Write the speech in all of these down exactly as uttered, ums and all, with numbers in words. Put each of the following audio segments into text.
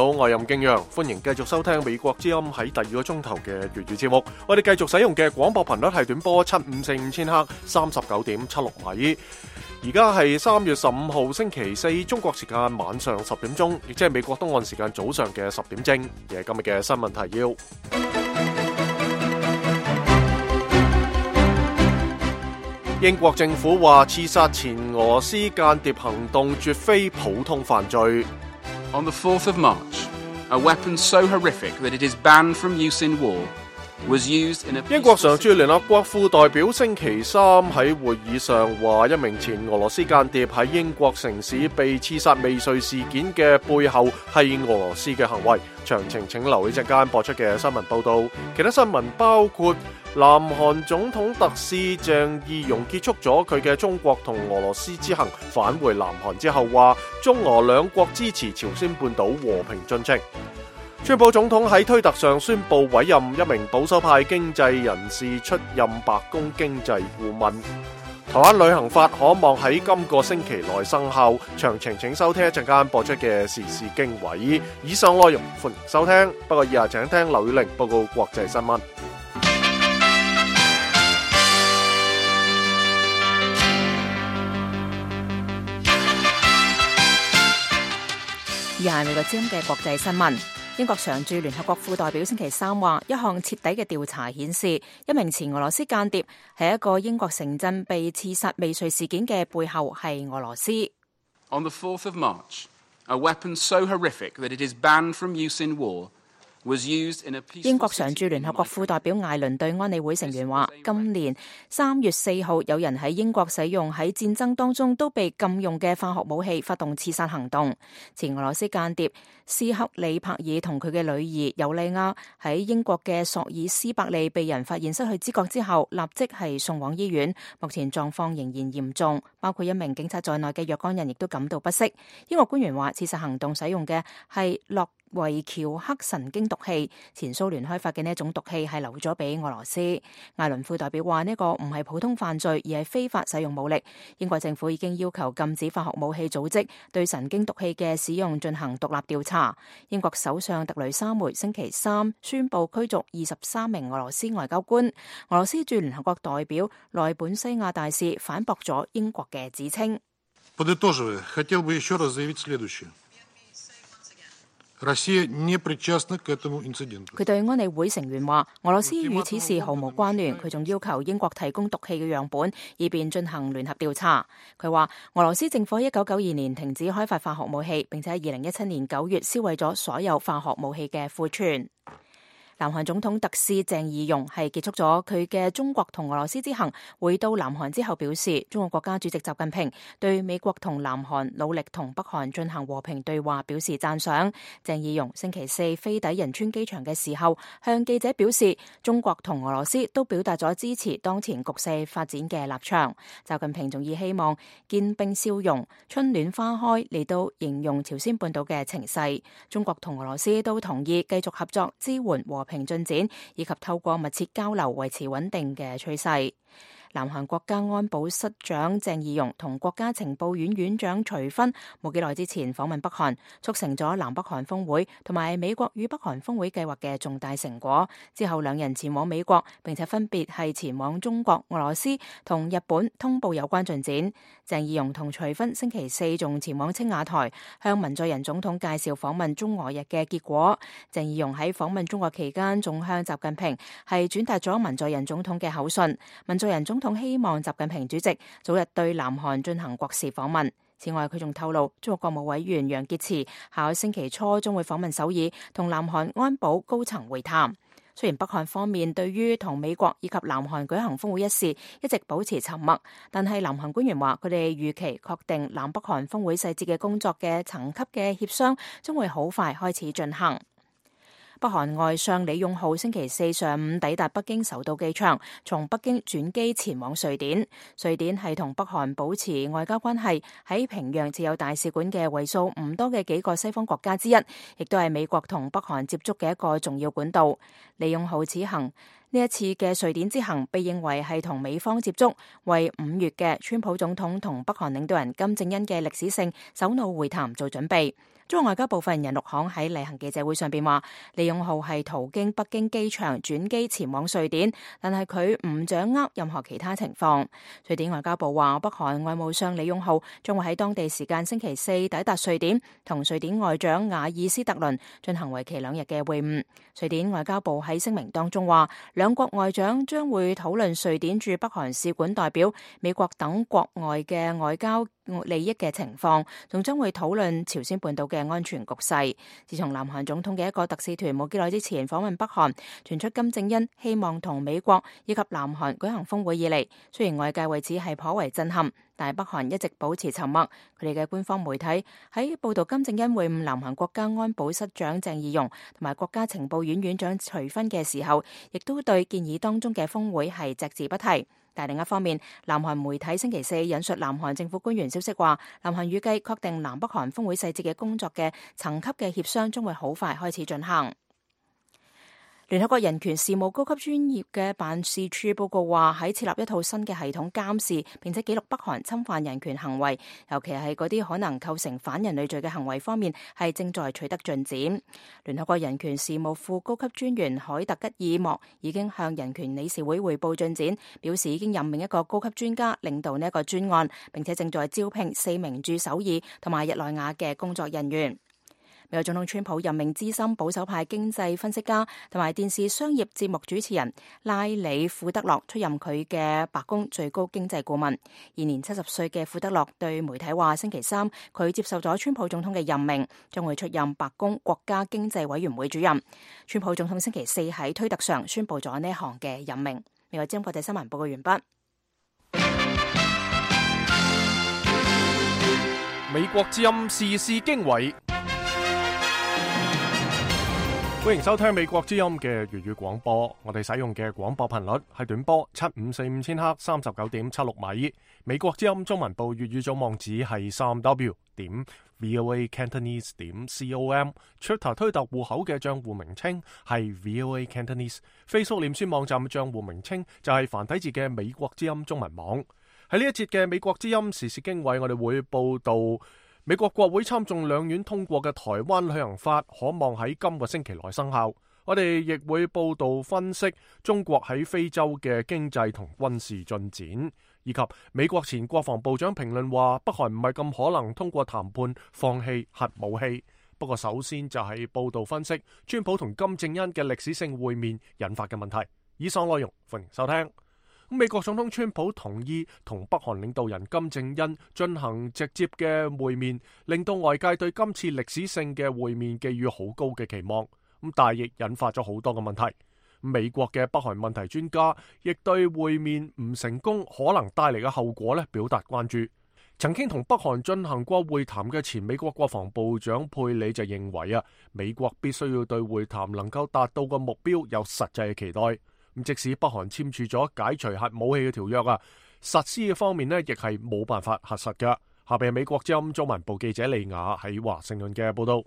好，我係任敬陽，歡迎繼續收聽美國之音喺第二個鐘頭嘅粵語節目。我哋繼續使用嘅廣播頻率係短波七五四五千克，三十九點七六米。而家係三月十五號星期四，中國時間晚上十點鐘，亦即係美國東岸時間早上嘅十點正。而係今日嘅新聞提要。英國政府話刺殺前俄羅斯間諜行動絕非普通犯罪。On the fourth of March, a weapon so horrific that it is banned from use in war was used in a... 英國常駐聯合國副代表星期三喺會議上話，一名前俄羅斯間諜喺英國城市被刺殺未遂事件嘅背後係俄羅斯嘅行為。詳情請留意陣間播出嘅新聞報道。其他新聞包括南韓總統特使鄭義溶結束咗佢嘅中國同俄羅斯之行，返回南韓之後話，中俄兩國支持朝鮮半島和平進程。川普總統喺推特上宣布委任一名保守派經濟人士出任白宮經濟顧問。台灣旅行法可望喺今個星期內生效，詳情請收聽一陣間播出嘅時事經緯。以上內容歡迎收聽，不過以下請聽劉宇玲報告國際新聞。以下係美國之音嘅國際新聞。英國常駐聯合國副代表星期三話，一項徹底嘅調查顯示，一名前俄羅斯間諜喺一個英國城鎮被刺殺未遂事件嘅背後係俄羅斯。On the fourth of March, a weapon so horrific that it is banned from use in war was used in a peaceful... 英國常駐聯合國副代表艾倫對安理會成員話，今年三月四號有人喺英國使用喺戰爭當中都被禁用嘅化學武器發動刺殺行動。前俄羅斯間諜斯克里柏爾同佢嘅女兒尤利亞喺英國嘅索爾斯伯利被人發現失去知覺之後，立即係送往醫院，目前狀況仍然嚴重，包括一名警察在內嘅若干人亦都感到不適。英國官員話，刺殺行動使用嘅係洛維喬克神經毒氣，前蘇聯開發嘅呢一種毒氣係留咗俾俄羅斯。艾倫副代表話，呢個唔係普通犯罪，而係非法使用武力。英國政府已經要求禁止化學武器組織對神經毒氣嘅使用進行獨立調查。英國首相特雷莎梅星期三宣布驅逐二十三名俄羅斯外交官。俄羅斯駐聯合國代表內本西亞大使反駁咗英國嘅指稱。佢對安理會成員話，俄羅斯與此事毫無關聯。佢仲要求英國提供毒氣嘅樣本，以便進行聯合調查。佢話，俄羅斯政府喺一九九二年停止開發化學武器，並且喺二零一七年九月銷毀咗所有化學武器嘅庫存。南韓總統特使鄭義溶係結束咗佢嘅中國同俄羅斯之行，回到南韓之後表示，中國國家主席習近平對美國同南韓努力同北韓進行和平對話表示讚賞。鄭義溶星期四飛抵仁川機場嘅時候，向記者表示，中國同俄羅斯都表達咗支持當前局勢發展嘅立場。習近平仲以希望見冰消融，春暖花開嚟到形容朝鮮半島嘅情勢。中國同俄羅斯都同意繼續合作支援和平進展，以及透過密切交流維持穩定嘅趨勢。南韓國家安保室長鄭義溶同國家情報院院長徐薰冇幾耐之前訪問北韓，促成咗南北韓峰會同埋美國與北韓峰會計劃嘅重大成果。之後兩人前往美國，並且分別係前往中國、俄羅斯同日本通報有關進展。鄭義溶同徐薰星期四仲前往青瓦台，向文在寅總統介紹訪問中俄日嘅結果。鄭義溶喺訪問中國期間，仲向習近平係轉達咗文在寅總統嘅口信。文在寅總統希望習近平主席早日對南韓進行國事訪問。此外，佢仲透露，中國國務委員楊潔篪下個星期初將會訪問首爾，同南韓安保高層會談。雖然北韓方面對於同美國以及南韓舉行峰會一事一直保持沉默，但係南韓官員話，佢哋預期確定南北韓峰會細節嘅工作嘅層級嘅協商將會好快開始進行。北韓外相李勇浩星期四上午抵達北京首都機場，從北京轉機前往瑞典。瑞典係同北韓保持外交關係，喺平壤設有大使館嘅為數唔多嘅幾個西方國家之一，亦都係美國同北韓接觸嘅一個重要管道。李勇浩此行呢一次嘅瑞典之行被認為係同美方接觸，為五月嘅川普總統同北韓領導人金正恩嘅歷史性首腦會談做準備。中國外交部發言人陸慷喺例行記者會上邊話，李勇浩係途經北京機場轉機前往瑞典，但係佢唔掌握任何其他情況。瑞典外交部話，北韓外務相李勇浩將會喺當地時間星期四抵達瑞典，同瑞典外長瓦爾斯特倫進行為期兩日嘅會晤。瑞典外交部喺聲明當中話，兩國外長將會討論瑞典駐北韓使館代表、美國等國外嘅外交利益嘅情況，仲將會討論朝鮮半島嘅安全局勢。自從南韓總統嘅一個特使團冇幾耐之前訪問北韓，傳出金正恩希望同美國以及南韓舉行峰會以嚟，雖然外界為此係頗為震撼，但係北韓一直保持沉默。佢哋嘅官方媒體喺報道金正恩會晤南韓國家安保室長鄭義溶同埋國家情報院院長徐薰嘅時候，亦都對建議當中嘅峰會係隻字不提。但另一方面，南韓媒體星期四引述南韓政府官員消息話，南韓預計確定南北韓峰會細節嘅工作嘅層級嘅協商將會好快開始進行。聯合國人權事務高級專業嘅辦事處報告話，喺設立一套新嘅系統監視並且記錄北韓侵犯人權行為，尤其係嗰啲可能構成反人類罪嘅行為方面，係正在取得進展。聯合國人權事務副高級專員海特吉爾莫已經向人權理事會匯報進展，表示已經任命一個高級專家領導呢一個專案，並且正在招聘四名駐首爾同埋日內瓦嘅工作人員。美國總統川普任命資深保守派經濟分析家同埋電視商業節目主持人拉里庫德洛出任佢嘅白宮最高經濟顧問。現年七十歲嘅庫德洛對媒體話，星期三佢接受咗川普總統嘅任命，將會出任白宮國家經濟委員會主任。川普總統星期四喺推特上宣布咗呢項嘅任命。美國之音國際新聞報告完畢。美國之音時事經緯。歡迎收聽美國之音嘅粵語廣播，我哋使用嘅廣播頻率係短波七五四五千赫三十九點七六米。美國之音中文部粵語組網址係三 w 點 voa cantonese 點 com。Twitter 推特戶口嘅賬戶名稱係 voa cantonese。Facebook 臉書網站嘅賬戶名稱就係繁體字嘅美國之音中文網。喺呢一節嘅美國之音時事經緯，我哋會報道美國國會參眾兩院通過嘅台灣旅行法可望喺今個星期內生效。我哋亦會報道分析中國喺非洲嘅經濟同軍事進展，以及美國前國防部長評論話北韓唔係咁可能通過談判放棄核武器。不過首先就係報道分析川普同金正恩嘅歷史性會面引發嘅問題。以上內容歡迎收聽。美國總統川普同意同北韓領導人金正恩進行直接嘅會面，令到外界對今次歷史性嘅會面寄予好高嘅期望。咁但係亦引發咗好多嘅問題。美國嘅北韓問題專家亦對會面唔成功可能帶嚟嘅後果咧表達關注。曾經同北韓進行過會談嘅前美國國防部長佩里就認為啊，美國必須要對會談能夠達到嘅目標有實際嘅期待。咁即使北韓簽署咗解除核武器嘅條約啊，實施嘅方面呢亦係冇辦法核實㗎。下邊係美國之音中文部記者利雅喺華盛頓嘅報道。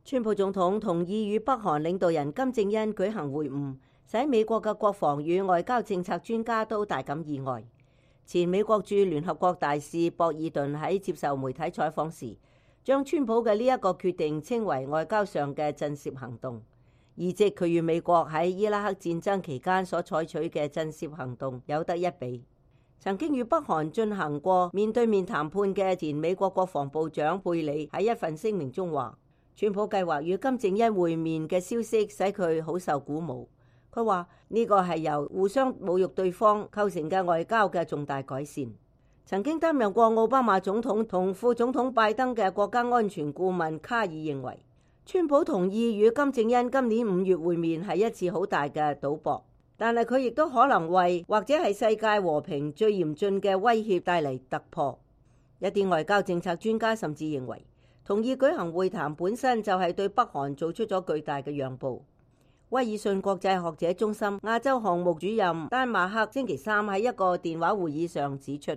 川普總統同意與北韓領導人金正恩舉行會晤，使美國嘅國防與外交政策專家都大感意外。前美國駐聯合國大使博爾頓喺接受媒體採訪時，將川普嘅呢一個決定稱為外交上嘅震懾行動。而即佢與美國喺伊拉克戰爭期間所採取嘅震懾行動有得一比。曾經與北韓進行過面對面談判嘅前美國國防部長佩里喺一份聲明中話，川普計劃與金正恩會面嘅消息使佢好受鼓舞。佢話呢個係由互相侮辱對方構成嘅外交嘅重大改善。曾經擔任過奧巴馬總統同副總統拜登嘅國家安全顧問卡爾認為，川普同意與金正恩今年五月會面係一次好大嘅賭博，但係佢亦都可能為或者係世界和平最嚴峻嘅威脅帶嚟突破。一啲外交政策專家甚至認為，同意舉行會談本身就係對北韓做出咗巨大嘅讓步。威爾遜國際學者中心亞洲項目主任丹馬克星期三喺一個電話會議上指出，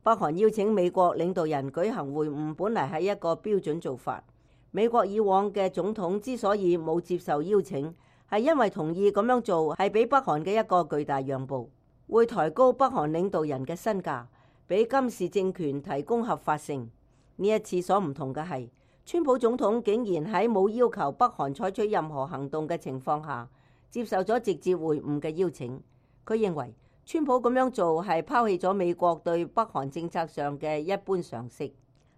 北韓邀請美國領導人舉行會晤本嚟係一個標準做法。美國以往嘅總統之所以冇接受邀請，係因為同意咁樣做係俾北韓嘅一個巨大讓步，會抬高北韓領導人嘅身價，俾金氏政權提供合法性。呢一次所唔同嘅係，川普總統竟然喺冇要求北韓採取任何行動嘅情況下，接受咗直接會晤嘅邀請。佢認為川普咁樣做係拋棄咗美國對北韓政策上嘅一般常識。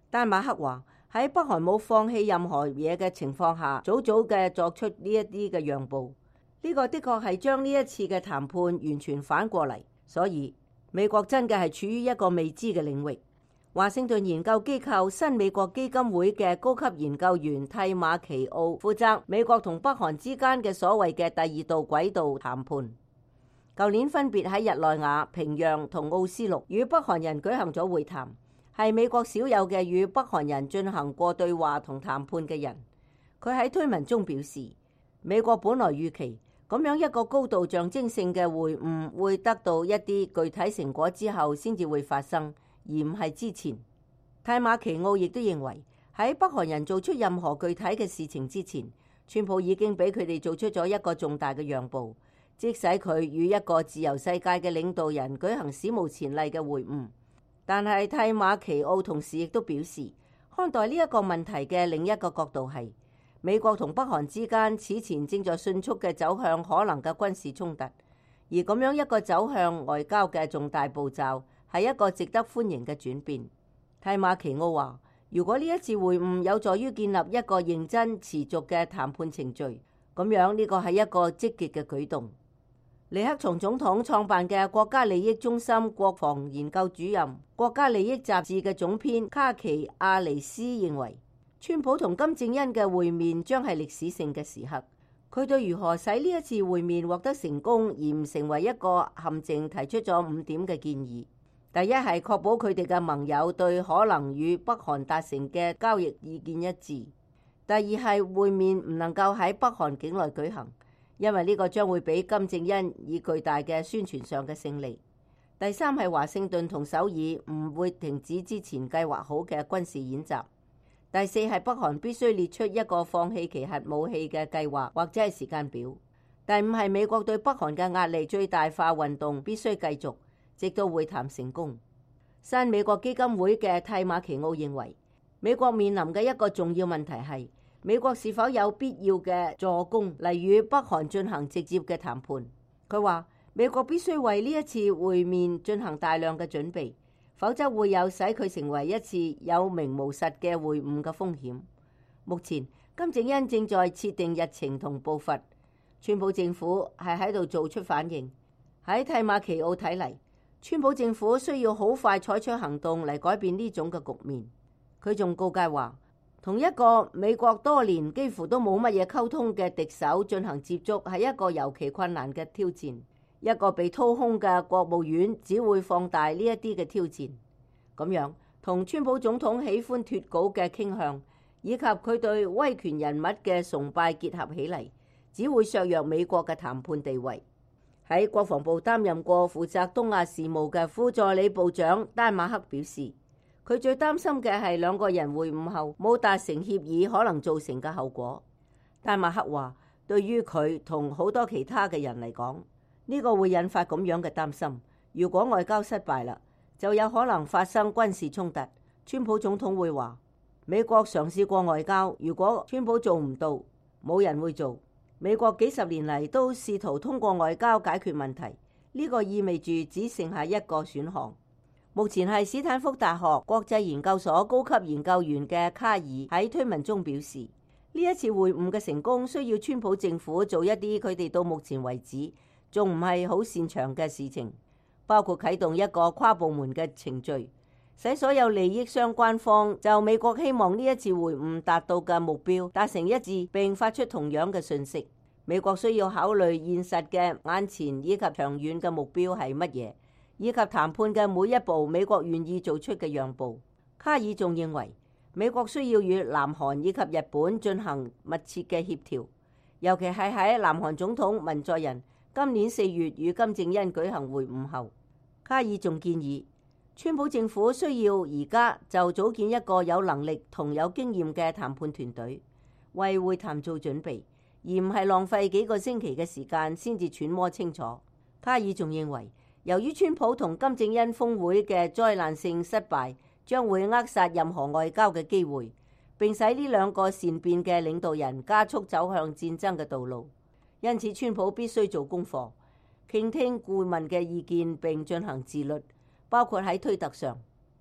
丹馬克話喺北韓冇放棄任何嘢嘅情況下，早早嘅作出呢一啲嘅讓步。呢個的確係將呢一次嘅談判完全反過嚟，所以美國真嘅係處於一個未知嘅領域。華盛頓研究機構新美國基金會嘅高級研究員蒂馬奇奧負責美國同北韓之間嘅所謂嘅第二道軌道談判。舊年分別喺日內瓦、平壤同奧斯陸與北韓人舉行咗會談，係美國少有嘅與北韓人進行過對話同談判嘅人。佢喺推文中表示，美國本來預期咁樣一個高度象徵性嘅會晤會得到一啲具體成果之後先至會發生，而唔係之前。蒂馬奇奧亦都認為喺北韓人做出任何具體嘅事情之前，川普已經俾佢哋做出咗一個重大嘅讓步，即使佢與一個自由世界嘅領導人舉行史無前例嘅會晤。但係蒂馬奇奧同時亦都表示，看待呢一個問題嘅另一個角度係，美國同北韓之間此前正在迅速嘅走向可能嘅軍事衝突，而咁樣一個走向外交嘅重大步驟係一個值得歡迎嘅轉變。蒂馬奇奧話，如果呢一次會晤有助於建立一個認真持續嘅談判程序，咁樣呢個係一個積極嘅舉動。尼克松總統創辦嘅國家利益中心國防研究主任、國家利益雜誌嘅總編卡奇亞尼斯認為，川普同金正恩嘅會面將係歷史性嘅時刻。佢對如何使呢一次會面獲得成功而唔成為一個陷阱提出咗五點嘅建議。第一係確保佢哋嘅盟友對可能與北韓達成嘅交易意見一致。第二係會面唔能夠喺北韓境內舉行，因為呢個將會俾金正恩以巨大嘅宣傳上嘅勝利。第三係華盛頓同首爾唔會停止之前計劃好嘅軍事演習。第四係北韓必須列出一個放棄其核武器嘅計劃或者係時間表。第五係美國對北韓嘅壓力最大化運動必須繼續，直到會談成功。新美國基金會嘅蒂馬奇奧認為，美國面臨嘅一個重要問題係，美國是否有必要嘅助攻嚟與北韓進行直接嘅談判。佢話，美國必須為呢一次會面進行大量嘅準備，否則會有使佢成為一次有名無實嘅會晤嘅風險。目前金正恩正在設定日程同步伐，川普政府係喺度做出反應。喺蒂馬奇奧睇嚟，川普政府需要好快採取行動嚟改變呢種嘅局面。佢仲告誡話，同一個美國多年幾乎都冇乜嘢溝通嘅敵手進行接觸係一個尤其困難嘅挑戰。一個被掏空嘅國務院只會放大呢一啲嘅挑戰。咁樣同川普總統喜歡脫稿嘅傾向，以及佢對威權人物嘅崇拜結合起嚟，只會削弱美國嘅談判地位。喺國防部擔任過負責東亞事務嘅副助理部長丹馬克表示，佢最擔心嘅係兩個人會晤後冇達成協議可能造成嘅後果。丹馬克話，對於佢同好多其他嘅人嚟講，呢個會引發咁樣嘅擔心。如果外交失敗啦，就有可能發生軍事衝突。川普總統會話，美國嘗試過外交，如果川普做唔到，冇人會做。美國幾十年嚟都試圖通過外交解決問題，呢個意味住只剩下一個選項。目前係史坦福大學國際研究所高級研究員嘅卡爾喺推文中表示，呢一次會晤嘅成功需要川普政府做一啲佢哋到目前為止仲唔係好擅長嘅事情，包括啟動一個跨部門嘅程序，使所有利益相關方就美國希望呢一次會晤達到嘅目標達成一致，並發出同樣嘅訊息。美國需要考慮現實嘅眼前以及長遠嘅目標係乜嘢，以及談判嘅每一步美國願意做出嘅讓步。卡爾仲認為，美國需要與南韓以及日本進行密切嘅協調，尤其係喺南韓總統文在寅今年四月與金正恩舉行會晤後。卡爾仲建議，川普政府需要而家就組建一個有能力同有經驗嘅談判團隊，為會談做準備，而唔係浪費幾個星期嘅時間先至揣摩清楚。卡爾仲認為，由於川普同金正恩峰會嘅災難性失敗，將會扼殺任何外交嘅機會，並使呢兩個善變嘅領導人加速走向戰爭嘅道路。因此，川普必須做功課，傾聽顧問嘅意見並進行自律，包括喺推特上。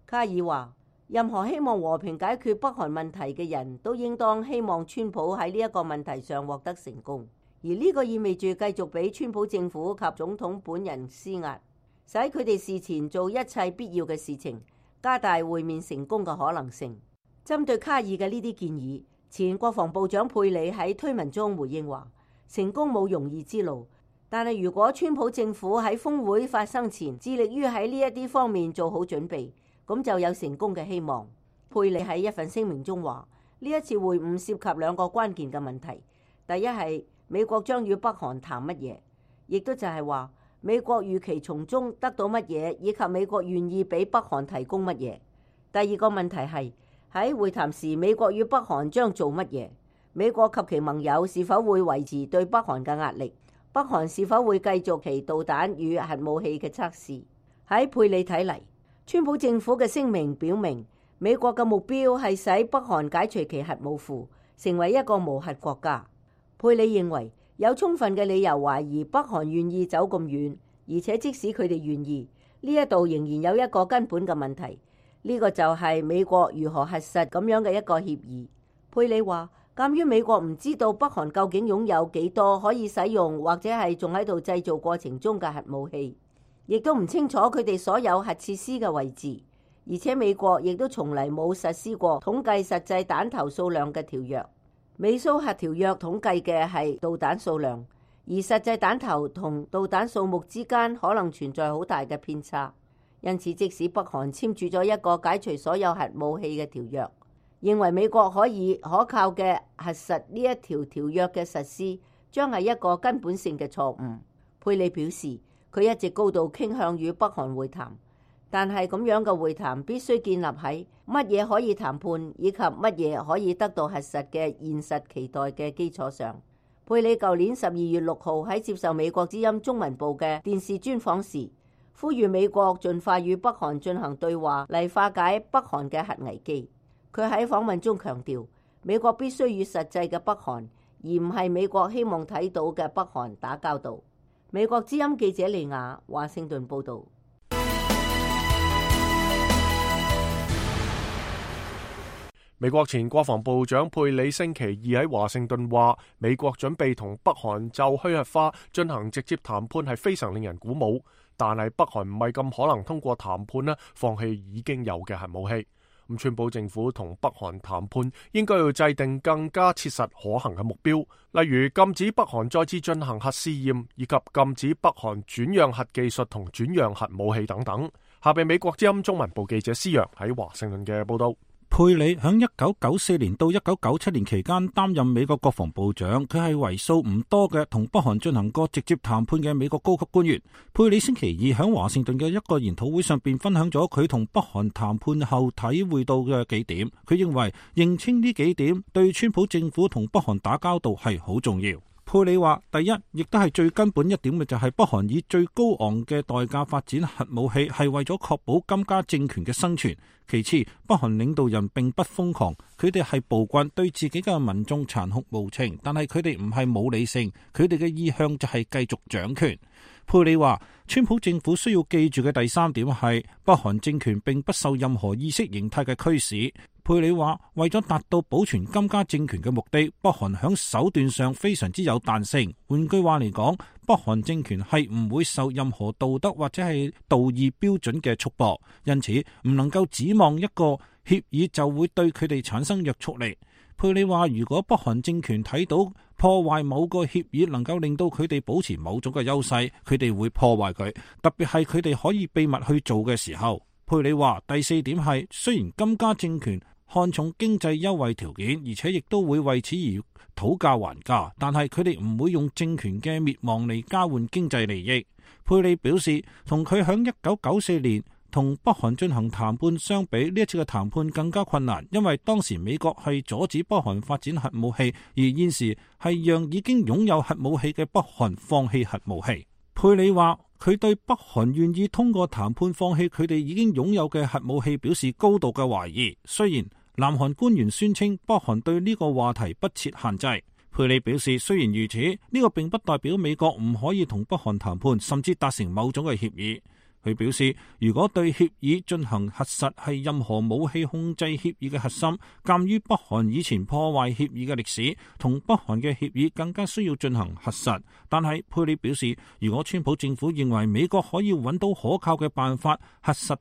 卡爾話，任何希望和平解決北韓問題嘅人都應當希望川普喺呢一個問題上獲得成功，而呢個意味住繼續俾川普政府及總統本人施壓，使佢哋事前做一切必要嘅事情，加大會面成功嘅可能性。針對卡爾嘅呢啲建議，前國防部長佩里喺推文中回應話，成功冇容易之路，但係如果川普政府喺峰會發生前致力於喺呢一啲方面做好準備，咁就有成功嘅希望。佩里喺一份聲明中話，呢一次會晤涉及兩個關鍵嘅問題，第一係美國將與北韓談乜嘢，亦都就係話美國預期從中得到乜嘢，以及美國願意俾北韓提供乜嘢。第二個問題係喺會談時，美國與北韓將做乜嘢，美國及其盟友是否會維持對北韓嘅壓力，北韓是否會繼續其導彈與核武器嘅測試。喺佩里睇嚟，川普政府嘅聲明表明，美國嘅目標係使北韓解除其核武庫，成為一個無核國家。佩里認為有充分嘅理由懷疑北韓願意走咁遠，而且即使佢哋願意，呢一度仍然有一個根本嘅問題，呢個就係美國如何核實咁樣嘅一個協議。佩里話，鑑於美國唔知道北韓究竟擁有幾多可以使用或者係仲喺度製造過程中嘅核武器，亦都唔清楚佢哋所有核設施嘅位置，而且美國亦都從嚟冇實施過統計實際彈頭數量嘅條約。美蘇核條約統計嘅係導彈數量，而實際彈頭同導彈數目之間可能存在好大嘅偏差。因此，即使北韓簽署咗一個解除所有核武器嘅條約，認為美國可以可靠嘅核實呢一條條約嘅實施，將係一個根本性嘅錯誤。佩里表示，佢一直高度傾向與北韓會談，但係咁樣嘅會談必須建立喺乜嘢可以談判以及乜嘢可以得到核實嘅現實期待嘅基礎上。佩里舊年十二月六號喺接受美國之音中文部嘅電視專訪時，呼籲美國盡快與北韓進行對話嚟化解北韓嘅核危機。佢喺訪問中強調，美國必須與實際嘅北韓，而唔係美國希望睇到嘅北韓打交道。美國之音記者利亞華盛頓報道。美國前國防部長佩里星期二喺華盛頓話，美國準備同北韓就去核化進行直接談判係非常令人鼓舞，但係北韓唔係咁可能通過談判呢放棄已經有嘅核武器。咁川普政府同北韓談判應該要制定更加切實可行嘅目標，例如禁止北韓再次進行核試驗，以及禁止北韓轉讓核技術同轉讓核武器等等。下邊美國之音中文部記者施洋喺華盛頓嘅報道。佩里響一九九四年到一九九七年期間擔任美國國防部長，佢係為數唔多嘅同北韓進行過直接談判嘅美國高級官員。佩里星期二響華盛頓嘅一個研討會上邊分享咗佢同北韓談判後體會到嘅幾點。佢認為認清呢幾點對川普政府同北韓打交道係好重要。佩里話，第一，亦都係最根本一點嘅就係北韓以最高昂嘅代價發展核武器，係為咗確保金家政權嘅生存。其次，北韓領導人並不瘋狂，佢哋係暴君，對自己嘅民眾殘酷無情，但係佢哋唔係冇理性，佢哋嘅意向就係繼續掌權。佩里話，川普政府需要記住嘅第三點係北韓政權並不受任何意識形態嘅驅使。佩里話，為咗達到保存金家政權嘅目的，北韓響手段上非常之有彈性。換句話嚟講，北韓政權係唔會受任何道德或者係道義標準嘅束縛，因此唔能夠指望一個協議就會對佢哋產生約束力。佩里話，如果北韓政權睇到破壞某個協議能夠令到佢哋保持某種嘅優勢，佢哋會破壞佢，特別係佢哋可以秘密去做嘅時候。佩里話，第四點係，雖然金家政權看重經濟優惠條件，而且亦都會為此而討價還價，但係佢哋唔會用政權嘅滅亡嚟交換經濟利益。佩里表示，同佢響一九九四年同北韓進行談判相比，呢一次嘅談判更加困難，因為當時美國係阻止北韓發展核武器，而現時係讓已經擁有核武器嘅北韓放棄核武器。佩里話佢對北韓願意通過談判放棄佢哋已經擁有嘅核武器表示高度嘅懷疑。雖然南韓官員宣稱北韓對呢個話題不設限制，佩里表示雖然如此，呢個並不代表美國唔可以同北韓談判，甚至達成某種嘅協議。佢表示，如果對協議進行核實係任何武器控制協議嘅核心，鑑於北韓以前破壞協議嘅歷史，同北韓嘅協議更加需要進行核實。但係佩里表示，如果川普政府認為美國可以揾到可靠嘅辦法核實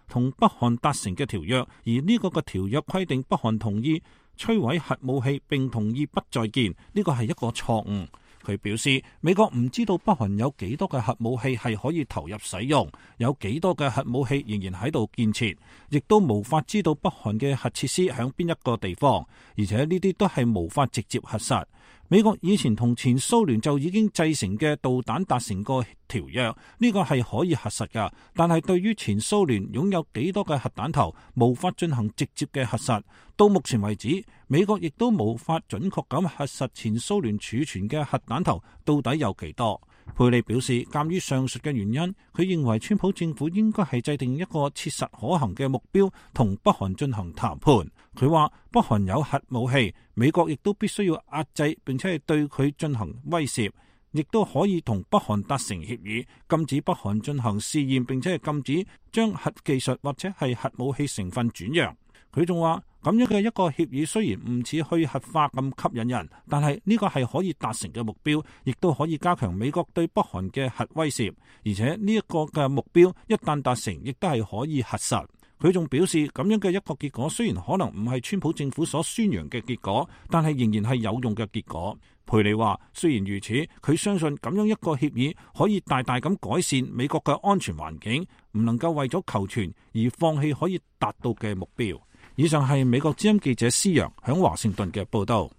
同北韓達成嘅條約，而呢個嘅條約規定北韓同意摧毀核武器並同意不再建，呢個係一個錯誤。佢表示，美國唔知道北韓有幾多嘅核武器係可以投入使用，有幾多嘅核武器仍然喺度建設，亦都無法知道北韓嘅核設施喺邊一個地方，而且呢啲都係無法直接核實。美國以前同前蘇聯就已經製成嘅導彈達成過條約，呢個係可以核實㗎。但係對於前蘇聯擁有幾多嘅核彈頭，無法進行直接嘅核實。到目前為止，美國亦都無法準確咁核實前蘇聯儲存嘅核彈頭到底有幾多。佩里表示，鑑於上述嘅原因，佢認為川普政府應該係制定一個切實可行嘅目標，同北韓進行談判。佢話北韓有核武器，美國亦都必須要壓制並且係對佢進行威懾，亦都可以同北韓達成協議，禁止北韓進行試驗，並且係禁止將核技術或者係核武器成分轉讓。佢仲話咁樣嘅一個協議雖然唔似去核化咁吸引人，但係呢個係可以達成嘅目標，亦都可以加強美國對北韓嘅核威懾，而且呢一個嘅目標一旦達成，亦都係可以核實。佢仲表示，咁樣嘅一個結果雖然可能唔係川普政府所宣揚嘅結果，但係仍然係有用嘅結果。佩里話，雖然如此，佢相信咁樣一個協議可以大大咁改善美國嘅安全環境，唔能夠為咗求存而放棄可以達到嘅目標。以上係美國之音記者施陽響華盛頓嘅報道。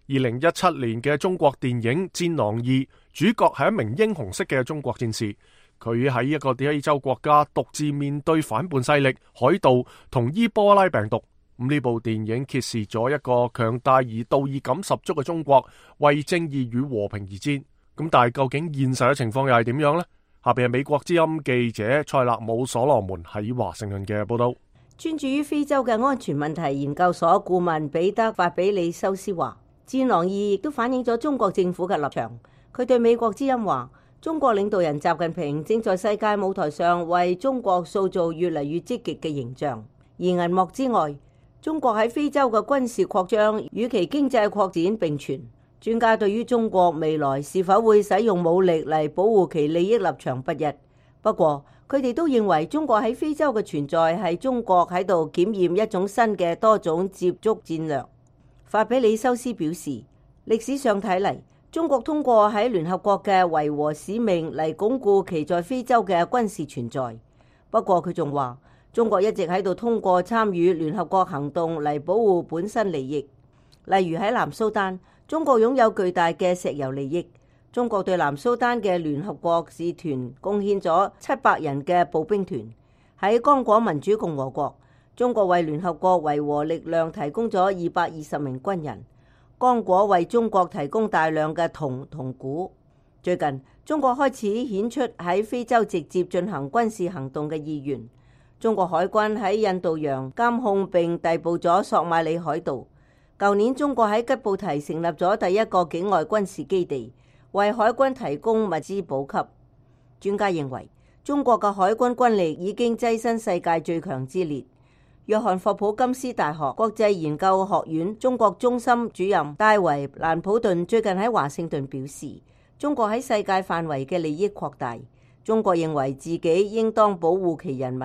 二零一七年嘅中國電影《戰狼二》主角係一名英雄式嘅中國戰士，佢喺一個非洲國家獨自面對反叛勢力、海盜同伊波拉病毒。咁呢部電影揭示咗一個強大而道義感十足嘅中國為正義與和平而戰。咁但係究竟現實嘅情況又係點樣呢？下邊係美國之音記者塞勒姆所羅門喺華盛頓嘅報道。專注於非洲嘅安全問題研究所顧問彼得法比里修斯話，《戰狼二》亦都反映咗中國政府嘅立場。佢對美國之音話，中國領導人習近平正在世界舞台上為中國塑造越嚟越積極嘅形象。而銀幕之外，中國喺非洲嘅軍事擴張與其經濟擴展並存。專家對於中國未來是否會使用武力嚟保護其利益立場不一。不過，佢哋都認為中國喺非洲嘅存在係中國喺度檢驗一種新嘅多種接觸戰略。法比里修斯表示，歷史上睇嚟，中國通過喺聯合國嘅維和使命嚟鞏固其在非洲嘅軍事存在。不過佢仲話，中國一直喺度通過參與聯合國行動嚟保護本身利益。例如喺南蘇丹，中國擁有巨大嘅石油利益。中國對南蘇丹嘅聯合國使團貢獻咗七百人嘅步兵團。喺剛果民主共和國，中國為聯合國維和力量提供咗二百二十名軍人。剛果為中國提供大量嘅銅同鈷。最近，中國開始顯出喺非洲直接進行軍事行動嘅意願。中國海軍喺印度洋監控並逮捕咗索馬里海盜。舊年，中國喺吉布提成立咗第一個境外軍事基地，為海軍提供物資補給。專家認為，中國嘅海軍軍力已經躋身世界最強之列。約翰霍普金斯大學國際研究學院中國中心主任戴維蘭普頓最近喺華盛頓表示，中國喺世界範圍嘅利益擴大，中國認為自己應當保護其人民，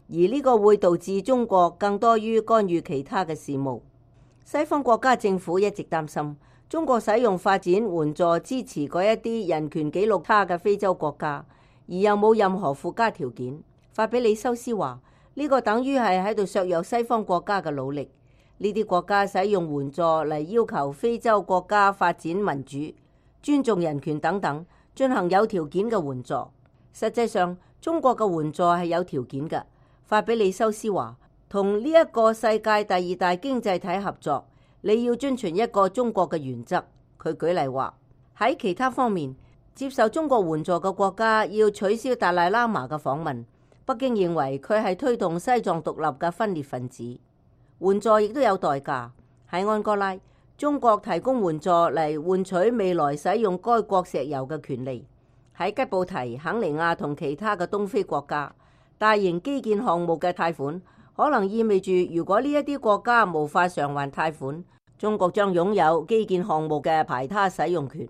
而呢個會導致中國更多於干預其他嘅事務。西方國家政府一直擔心中國使用發展援助支持嗰一啲人權紀錄差嘅非洲國家，而又冇任何附加條件。法比里修斯話，呢個等於係喺度削弱西方國家嘅努力。呢啲國家使用援助嚟要求非洲國家發展民主。尊重人權等等，進行有條件嘅援助。實際上，中國嘅援助係有條件嘅。法比利修斯話，同呢一個世界第二大經濟體合作，你要遵循一個中國嘅原則。佢舉例話，喺其他方面，接受中國援助嘅國家要取消達賴喇嘛嘅訪問。北京認為佢係推動西藏獨立嘅分裂分子。援助亦都有代價。喺安哥拉，中國提供援助嚟換取未來使用該國石油嘅權利。喺吉布提、肯尼亞同其他嘅東非國家，大型基建項目嘅貸款可能意味住，如果呢一啲國家無法償還貸款，中國將擁有基建項目嘅排他使用權。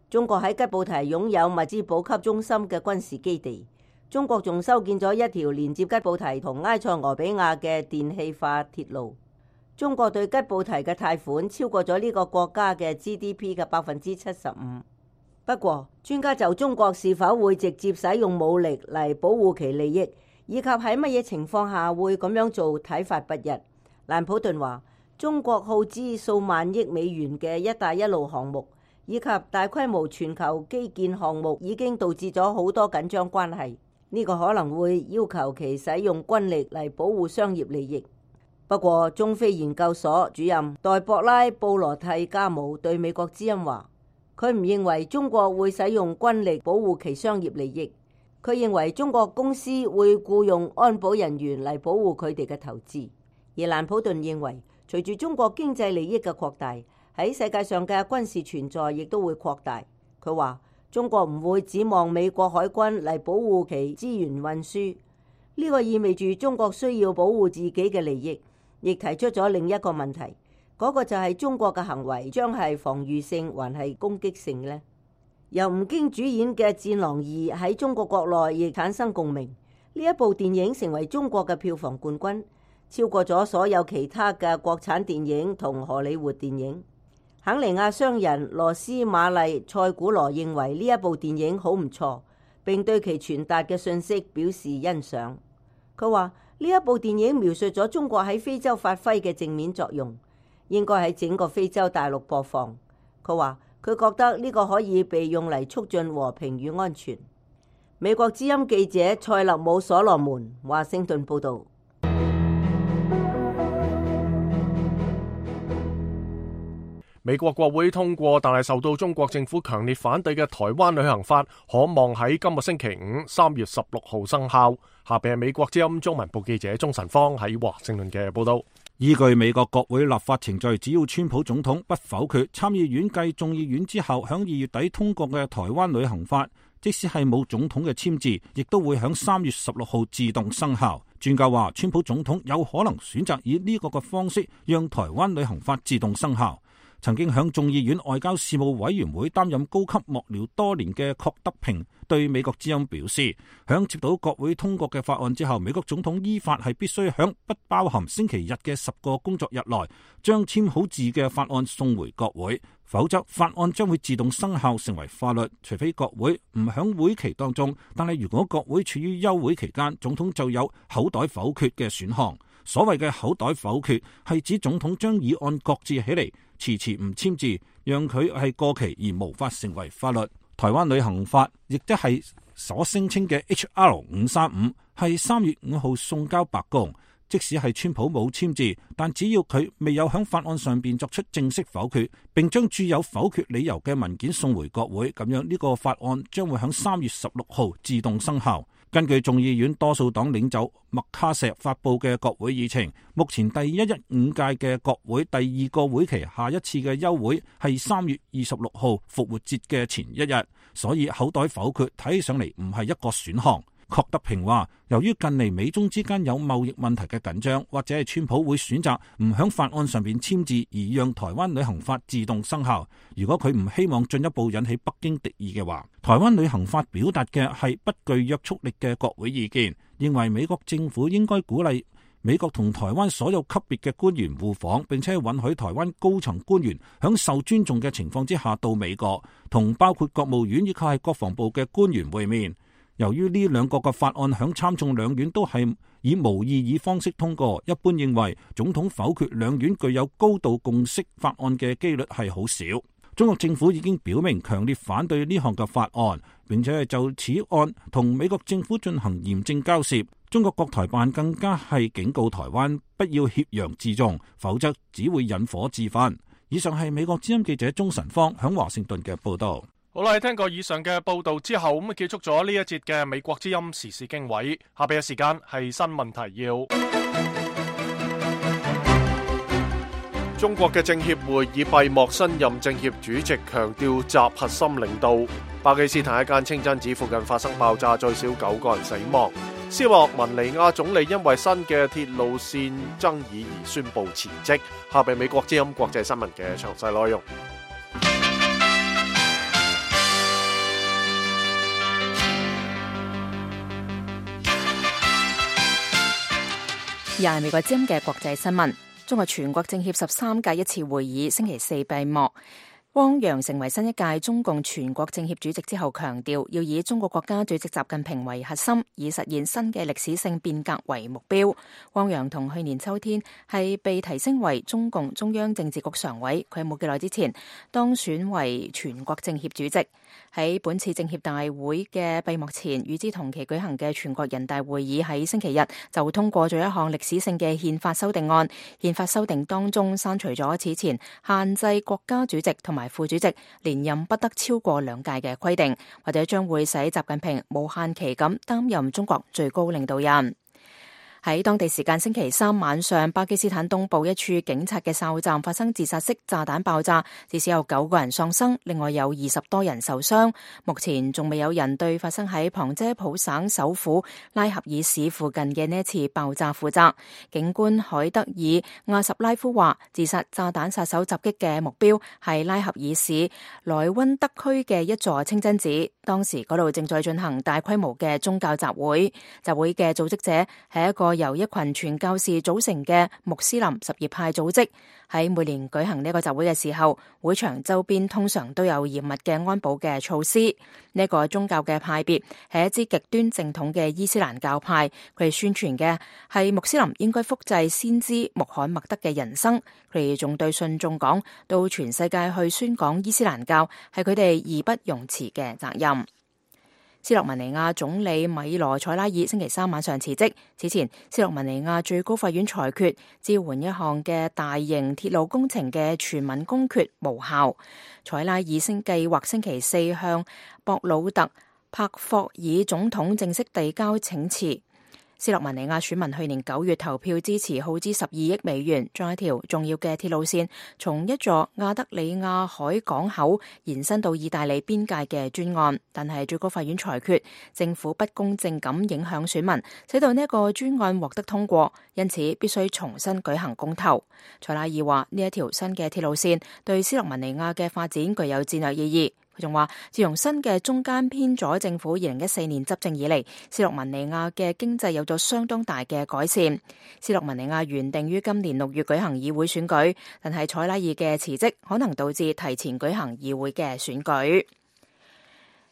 中國喺吉布提擁有物資補給中心嘅軍事基地。中國仲修建咗一條連接吉布提同埃塞俄比亞嘅電氣化鐵路。中國對吉布提嘅貸款超過咗呢個國家嘅 G D P 嘅百分之七十五。不過，專家就中國是否會直接使用武力嚟保護其利益，以及喺乜嘢情況下會咁樣做，睇法不一。蘭普頓話，中國耗資數萬億美元嘅一帶一路項目，以及大規模全球基建項目已經導致咗好多緊張關係。呢個可能會要求其使用軍力嚟保護商業利益。不過，中非研究所主任代博拉布羅蒂加姆對美國之音話，佢唔認為中國會使用軍力保護其商業利益。佢認為中國公司會僱用安保人員嚟保護佢哋嘅投資。而蘭普頓認為，隨住中國經濟利益嘅擴大，喺世界上嘅軍事存在亦都會擴大。佢話，中國唔會指望美國海軍嚟保護其資源運輸。呢個意味住中國需要保護自己嘅利益。亦提出咗另一個問題，嗰個就係中國嘅行為將係防禦性還係攻擊性呢？由吳京主演嘅《戰狼二》喺中國國內亦產生共鳴。呢一部電影成為中國嘅票房冠軍，超過咗所有其他嘅國產電影同荷里活電影。肯尼亞商人羅斯瑪麗塞古羅認為呢一部電影好唔錯，並對其傳達嘅信息表示欣賞。佢話，呢一部電影描述咗中國喺非洲發揮嘅正面作用，應該喺整個非洲大陸播放。佢話佢覺得呢個可以被用嚟促進和平與安全。美國之音記者塞勒姆所羅門華盛頓報導。美國國會通過但係受到中國政府強烈反對嘅台灣旅行法，可望喺今個星期五三月十六號生效。下邊係美國之音中文部記者鍾晨芳喺華盛頓嘅報道。依據美國國會立法程序，只要川普總統不否決參議院繼眾議院之後響二月底通過嘅台灣旅行法，即使係冇總統嘅簽字，亦都會響三月十六號自動生效。專家話，川普總統有可能選擇以呢個嘅方式讓台灣旅行法自動生效。曾經響眾議院外交事務委員會擔任高級幕僚多年嘅郝德平對美國之音表示，響接到國會通過嘅法案之後，美國總統依法係必須響不包含星期日嘅十個工作日內將簽好字嘅法案送回國會，否則法案將會自動生效成為法律，除非國會唔響會期當中。但係如果國會處於休會期間，總統就有口袋否決嘅選項。所謂嘅口袋否決係指總統將議案擱置起嚟，遲遲唔簽字，讓佢係過期而無法成為法律。台灣旅行法亦即係所聲稱嘅 H R 五三五，係三月五號送交白宮。即使係川普冇簽字，但只要佢未有響法案上邊作出正式否決，並將註有否決理由嘅文件送回國會，咁樣呢個法案將會響三月十六號自動生效。根據眾議院多數黨領袖麥卡錫發佈嘅國會議程，目前第一一五屆嘅國會第二個會期下一次嘅休會係三月二十六號復活節嘅前一日，所以口袋否決睇起上嚟唔係一個選項。郝德平話，由於近嚟美中之間有貿易問題嘅緊張，或者係川普會選擇唔響法案上邊簽字，而讓台灣旅行法自動生效。如果佢唔希望進一步引起北京敵意嘅話，台灣旅行法表達嘅係不具約束力嘅國會意見，認為美國政府應該鼓勵美國同台灣所有級別嘅官員互訪，並且允許台灣高層官員響受尊重嘅情況之下到美國，同包括國務院以及係國防部嘅官員會面。由於呢兩個嘅法案響參眾兩院都係以無異議方式通過，一般認為總統否決兩院具有高度共識法案嘅機率係好少。中國政府已經表明強烈反對呢項嘅法案，並且係就此案同美國政府進行嚴正交涉。中國國台辦更加係警告台灣不要挾洋自重，否則只會引火自焚。以上係美國之音記者鍾晨芳響華盛頓嘅報道。好啦，聽過以上嘅報道之後，咁啊結束咗呢一節嘅美國之音時事經緯。下邊嘅時間係新聞提要。中國嘅政協會議閉幕，新任政協主席強調集核心領導。巴基斯坦一間清真寺附近發生爆炸，最少九個人死亡。斯洛文尼亞總理因為新嘅鐵路線爭議而宣布辭職。下邊美國之音國際新聞嘅詳細內容。又係美國之音嘅國際新聞。中國全國政協十三屆一次會議星期四閉幕。汪洋成為新一屆中共全國政協主席之後，強調要以中國國家主席習近平為核心，以實現新嘅歷史性變革為目標。汪洋同去年秋天係被提升為中共中央政治局常委，佢冇幾耐之前當選為全國政協主席。喺本次政協大會嘅閉幕前，與之同期舉行嘅全國人大會議喺星期日就通過咗一項歷史性嘅憲法修訂案。憲法修訂當中刪除咗此前限制國家主席同埋副主席連任不得超過兩屆嘅規定，或者將會使習近平無限期咁擔任中國最高領導人。喺當地時間星期三晚上，巴基斯坦東部一處警察嘅哨站發生自殺式炸彈爆炸，至少有九個人喪生，另外有二十多人受傷。目前仲未有人對發生喺旁遮普省首府拉合爾市附近嘅呢次爆炸負責。警官海德爾亞什拉夫話，自殺炸彈殺手襲擊嘅目標係拉合爾市萊溫德區嘅一座清真寺，當時嗰度正在進行大規模嘅宗教集會。集會嘅組織者係一個由一群傳教士組成嘅穆斯林什葉派組織。喺每年舉行呢個集會嘅時候，會場周邊通常都有嚴密嘅安保嘅措施。呢個宗教嘅派別係一支極端正統嘅伊斯蘭教派，佢哋宣傳嘅係穆斯林應該複製先知穆罕默德嘅人生。佢哋仲對信眾講，到全世界去宣講伊斯蘭教係佢哋義不容辭嘅責任。斯洛文尼亞總理米羅塞拉爾星期三晚上辭職。此前，斯洛文尼亞最高法院裁決支援一項嘅大型鐵路工程嘅全民公決無效。塞拉爾星計劃星期四向博魯特帕霍爾總統正式遞交請辭。斯洛文尼亞選民去年九月投票支持耗資十二億美元，將一條重要嘅鐵路線從一座亞德里亞海港口延伸到意大利邊界嘅專案，但係最高法院裁決政府不公正咁影響選民，使到呢一個專案獲得通過，因此必須重新舉行公投。塞拉爾話呢一條新嘅鐵路線對斯洛文尼亞嘅發展具有戰略意義。佢仲話，自從新嘅中間偏左政府二零一四年執政以嚟，斯洛文尼亞嘅經濟有咗相當大嘅改善。斯洛文尼亞原定於今年六月舉行議會選舉，但係塞拉爾嘅辭職可能導致提前舉行議會嘅選舉。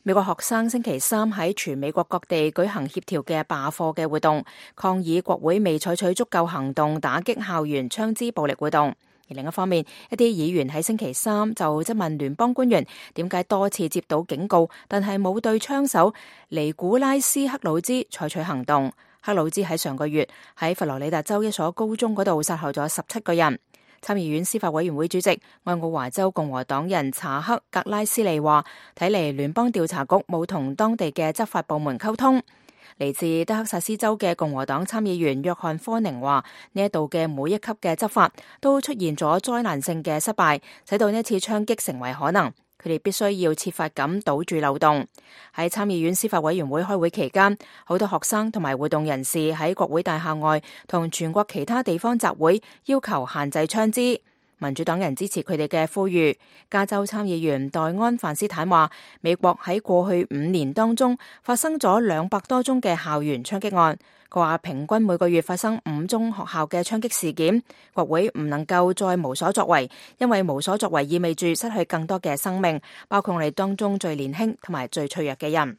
美國學生星期三喺全美國各地舉行協調嘅罷課嘅活動，抗議國會未採取足夠行動打擊校園槍支暴力活動。而另一方面，一啲議員喺星期三就質問聯邦官員點解多次接到警告，但係冇對槍手尼古拉斯克魯茲採取行動。克魯茲喺上個月喺佛羅里達州一所高中嗰度殺害咗十七個人。參議院司法委員會主席愛奧華州共和黨人查克格拉斯利話，睇嚟聯邦調查局冇同當地嘅執法部門溝通。嚟自德克薩斯州嘅共和黨參議員約翰科寧話，呢一度嘅每一級嘅執法都出現咗災難性嘅失敗，使到呢次槍擊成為可能。佢哋必須要設法咁堵住漏洞。喺參議院司法委員會開會期間，好多學生同埋活動人士喺國會大廈外同全國其他地方集會，要求限制槍支。民主黨人支持佢哋嘅呼籲。加州參議員黛安范斯坦話，美國喺過去五年當中發生咗兩百多宗嘅校園槍擊案。佢話平均每個月發生五宗學校嘅槍擊事件。國會唔能夠再無所作為，因為無所作為意味住失去更多嘅生命，包括我哋當中最年輕同埋最脆弱嘅人。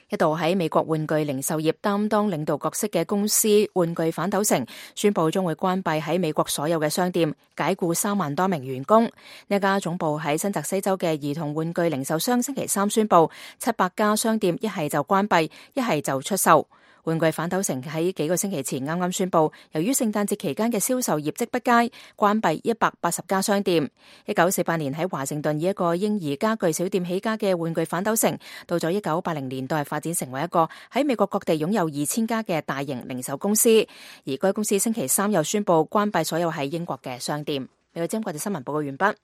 一度喺美國玩具零售業擔當領導角色嘅公司玩具反斗城宣布將會關閉喺美國所有嘅商店，解僱三萬多名員工。呢家總部喺新澤西州嘅兒童玩具零售商星期三宣布，七百家商店一係就關閉，一係就出售。玩具反斗城喺幾個星期前啱啱宣布，由於聖誕節期間嘅銷售業績不佳，關閉一百八十家商店。一九四八年喺華盛頓以一個嬰兒家具小店起家嘅玩具反斗城，到咗一九八零年代發展成為一個喺美國各地擁有二千家嘅大型零售公司。而該公司星期三又宣布關閉所有喺英國嘅商店。美國之音國際新聞報告完畢。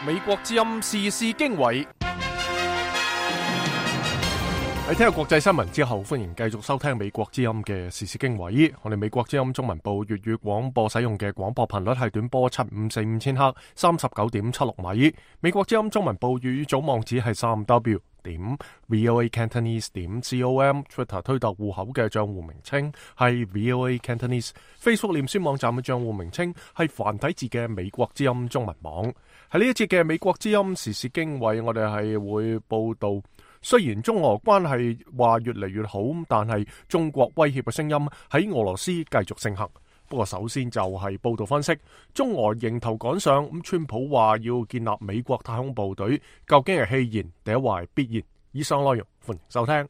美國之音時事經緯。喺聽日國際新聞之後，歡迎繼續收聽美國之音嘅時事經緯。我哋美國之音中文部粵語廣播使用嘅廣播頻率係短波七五四五千赫，三十九點七六米。美國之音中文部粵語組網址係三 w 點 voa cantonese 點 com。Twitter 推特戶口嘅賬戶名稱係 voa cantonese。Facebook 臉書網站嘅賬戶名稱係繁體字嘅美國之音中文網。喺呢一節嘅美國之音時事經緯，我哋係會報道。雖然中俄關係話越嚟越好，但係中國威脅嘅聲音喺俄羅斯繼續盛行。不過首先就係報道分析，中俄迎頭趕上，咁川普話要建立美國太空部隊，究竟係戲言定係話係必然？以上內容歡迎收聽。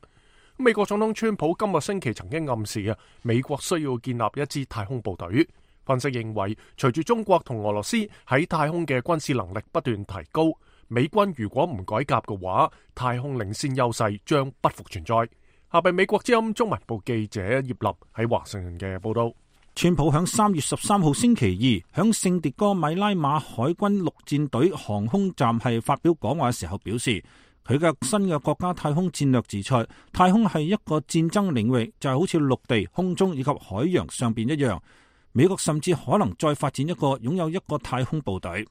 美國總統川普今個星期曾經暗示啊，美國需要建立一支太空部隊。分析認為，隨住中國同俄羅斯喺太空嘅軍事能力不斷提高，美軍如果唔改革嘅話，太空領先優勢將不復存在。下邊美國之音中文部記者葉立喺華盛頓嘅報道。川普響三月十三號星期二響聖迭戈米拉馬海軍陸戰隊航空站係發表講話嘅時候表示，佢嘅新嘅國家太空戰略指出，太空係一個戰爭領域，就係好似陸地、空中以及海洋上邊一樣。美國甚至可能再發展一個擁有一個太空部隊。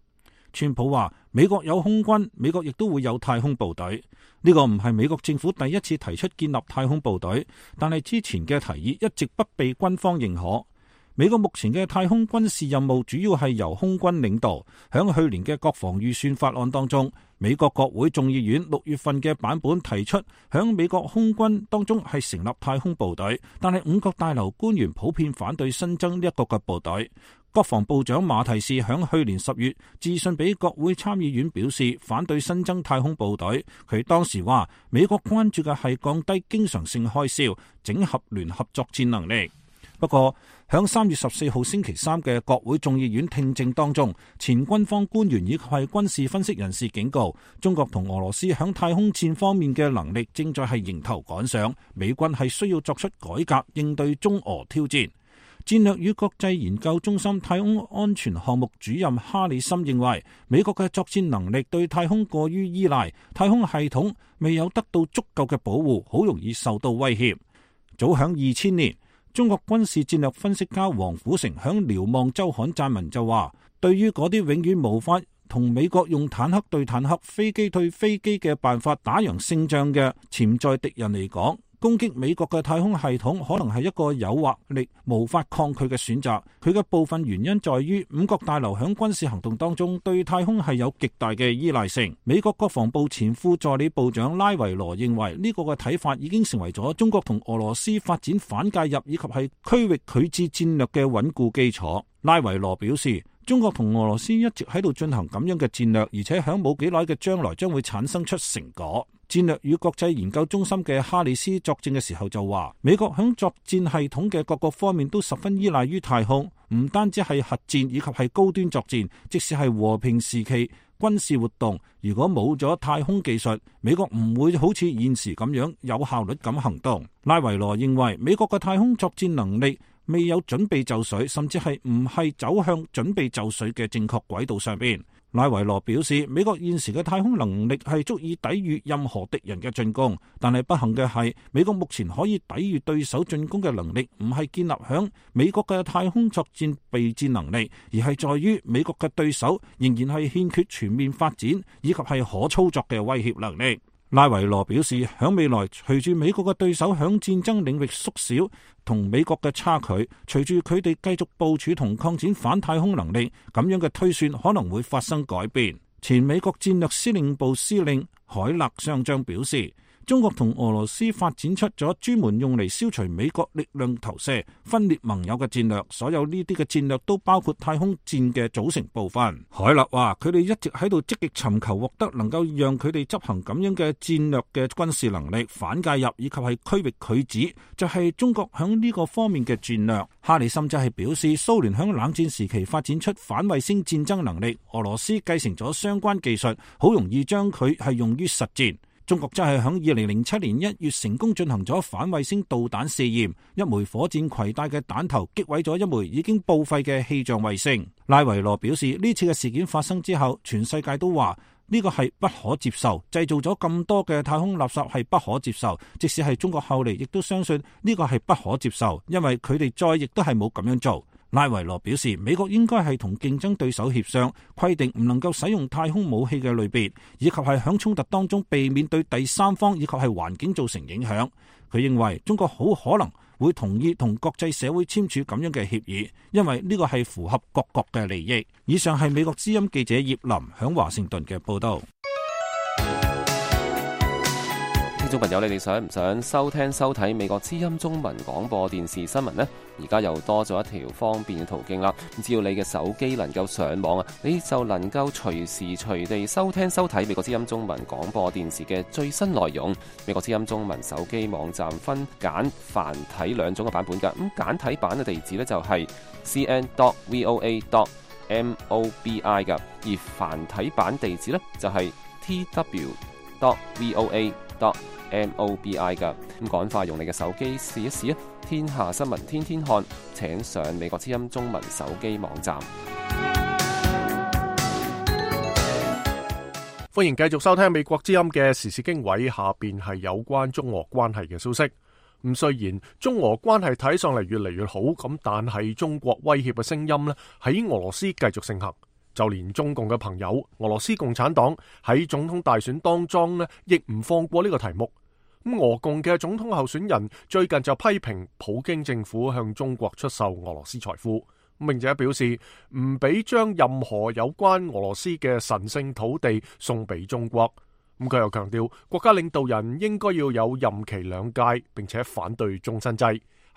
川普話，美國有空軍，美國亦都會有太空部隊。呢個唔係美國政府第一次提出建立太空部隊，但係之前嘅提議一直不被軍方認可。美國目前嘅太空軍事任務主要係由空軍領導。響去年嘅國防預算法案當中，美國國會眾議院六月份嘅版本提出響美國空軍當中係成立太空部隊，但係五角大樓官員普遍反對新增呢一個嘅部隊。國防部長馬提士響去年十月致信俾國會參議院，表示反對新增太空部隊。佢當時話，美國關注嘅係降低經常性開銷，整合聯合作戰能力。不過響三月十四號星期三嘅國會眾議院聽證當中，前軍方官員以及係軍事分析人士警告，中國同俄羅斯響太空戰方面嘅能力正在係迎頭趕上，美軍係需要作出改革應對中俄挑戰。戰略與國際研究中心太空安全項目主任哈里森認為，美國嘅作戰能力對太空過於依賴，太空系統未有得到足夠嘅保護，好容易受到威脅。早響二千年，中國軍事戰略分析家王虎成響《瞭望週刊》撰文就話，對於嗰啲永遠無法同美國用坦克對坦克、飛機對飛機嘅辦法打贏勝仗嘅潛在敵人嚟講，攻擊美國嘅太空系統可能係一個誘惑力無法抗拒嘅選擇。佢嘅部分原因在於五角大樓響軍事行動當中對太空係有極大嘅依賴性。美國國防部前副助理部長拉維羅認為，呢個嘅睇法已經成為咗中國同俄羅斯發展反介入以及係區域拒戰戰略嘅穩固基礎。拉維羅表示，中國同俄羅斯一直喺度進行咁樣嘅戰略，而且響冇幾耐嘅將來將會產生出成果。戰略與國際研究中心嘅哈里斯作證嘅時候就話，美國響作戰系統嘅各個方面都十分依賴於太空，唔單止係核戰以及係高端作戰，即使係和平時期軍事活動，如果冇咗太空技術，美國唔會好似現時咁樣有效率咁行動。拉維羅認為，美國嘅太空作戰能力未有準備就緒，甚至係唔係走向準備就緒嘅正確軌道上邊。拉維羅表示，美國現時嘅太空能力係足以抵禦任何敵人嘅進攻，但係不幸嘅係，美國目前可以抵禦對手進攻嘅能力唔係建立響美國嘅太空作戰備戰能力，而係在於美國嘅對手仍然係欠缺全面發展以及係可操作嘅威脅能力。拉維羅表示，響未來隨住美國嘅對手響戰爭領域縮小同美國嘅差距，隨住佢哋繼續部署同擴展反太空能力，咁樣嘅推算可能會發生改變。前美國戰略司令部司令海勒上將表示，中國同俄羅斯發展出咗專門用嚟消除美國力量投射、分裂盟友嘅戰略，所有呢啲嘅戰略都包括太空戰嘅組成部分。海勒話：佢哋一直喺度積極尋求獲得能夠讓佢哋執行咁樣嘅戰略嘅軍事能力、反介入以及係區域拒止，就係、是、中國響呢個方面嘅戰略。哈里甚至係表示，蘇聯響冷戰時期發展出反衛星戰爭能力，俄羅斯繼承咗相關技術，好容易將佢係用於實戰。中國真係喺二零零七年一月成功進行咗反衛星導彈試驗，一枚火箭攜帶嘅彈頭擊毀咗一枚已經報廢嘅氣象衛星。拉維羅表示，呢次嘅事件發生之後，全世界都話呢個係不可接受，製造咗咁多嘅太空垃圾係不可接受。即使係中國後嚟亦都相信呢個係不可接受，因為佢哋再亦都係冇咁樣做。拉維羅表示，美國應該係同競爭對手協商，規定唔能夠使用太空武器嘅類別，以及係響衝突當中避免對第三方以及係環境造成影響。佢認為中國好可能會同意同國際社會簽署咁樣嘅協議，因為呢個係符合各國嘅利益。以上係美國之音記者葉林響華盛頓嘅報道。聽眾朋友，你哋想唔想收聽收睇美國之音中文廣播電視新聞呢？而家又多咗一條方便嘅途徑啦！只要你嘅手機能夠上網啊，你就能夠隨時隨地收聽收睇美國之音中文廣播電視嘅最新內容。美國之音中文手機網站分簡繁體兩種嘅版本噶，咁簡體版嘅地址呢，就係 c n dot v o a dot m o b i 噶，而繁體版地址呢，就係 t w dot v o a dot m o b i 噶。咁趕快用你嘅手機試一試啊！天下新聞天天看，請上美國之音中文手機網站。歡迎繼續收聽美國之音嘅時事經緯，下邊係有關中俄關係嘅消息。咁雖然中俄關係睇上嚟越嚟越好，咁但係中國威脅嘅聲音呢，喺俄羅斯繼續盛行。就連中共嘅朋友俄羅斯共產黨喺總統大選當中呢，亦唔放過呢個題目。咁俄共嘅總統候選人最近就批評普京政府向中國出售俄羅斯財富，並且表示唔俾將任何有關俄羅斯嘅神聖土地送俾中國。咁佢又強調，國家領導人應該要有任期兩屆，並且反對終身制。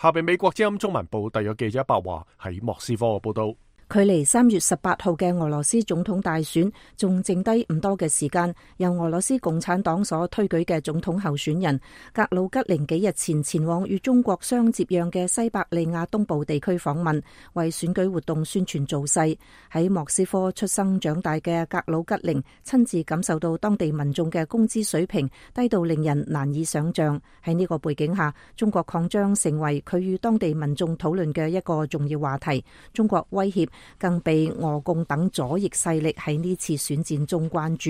下邊美國之音中文部特約記者白華喺莫斯科嘅報道。距離三月十八號嘅俄羅斯總統大選仲剩低唔多嘅時間，由俄羅斯共產黨所推舉嘅總統候選人格魯吉寧幾日前前往與中國相接壤嘅西伯利亞東部地區訪問，為選舉活動宣傳造勢。喺莫斯科出生長大嘅格魯吉寧親自感受到當地民眾嘅工資水平低到令人難以想象。喺呢個背景下，中國擴張成為佢與當地民眾討論嘅一個重要話題。中國威脅更被俄共等左翼勢力喺呢次選戰中關注。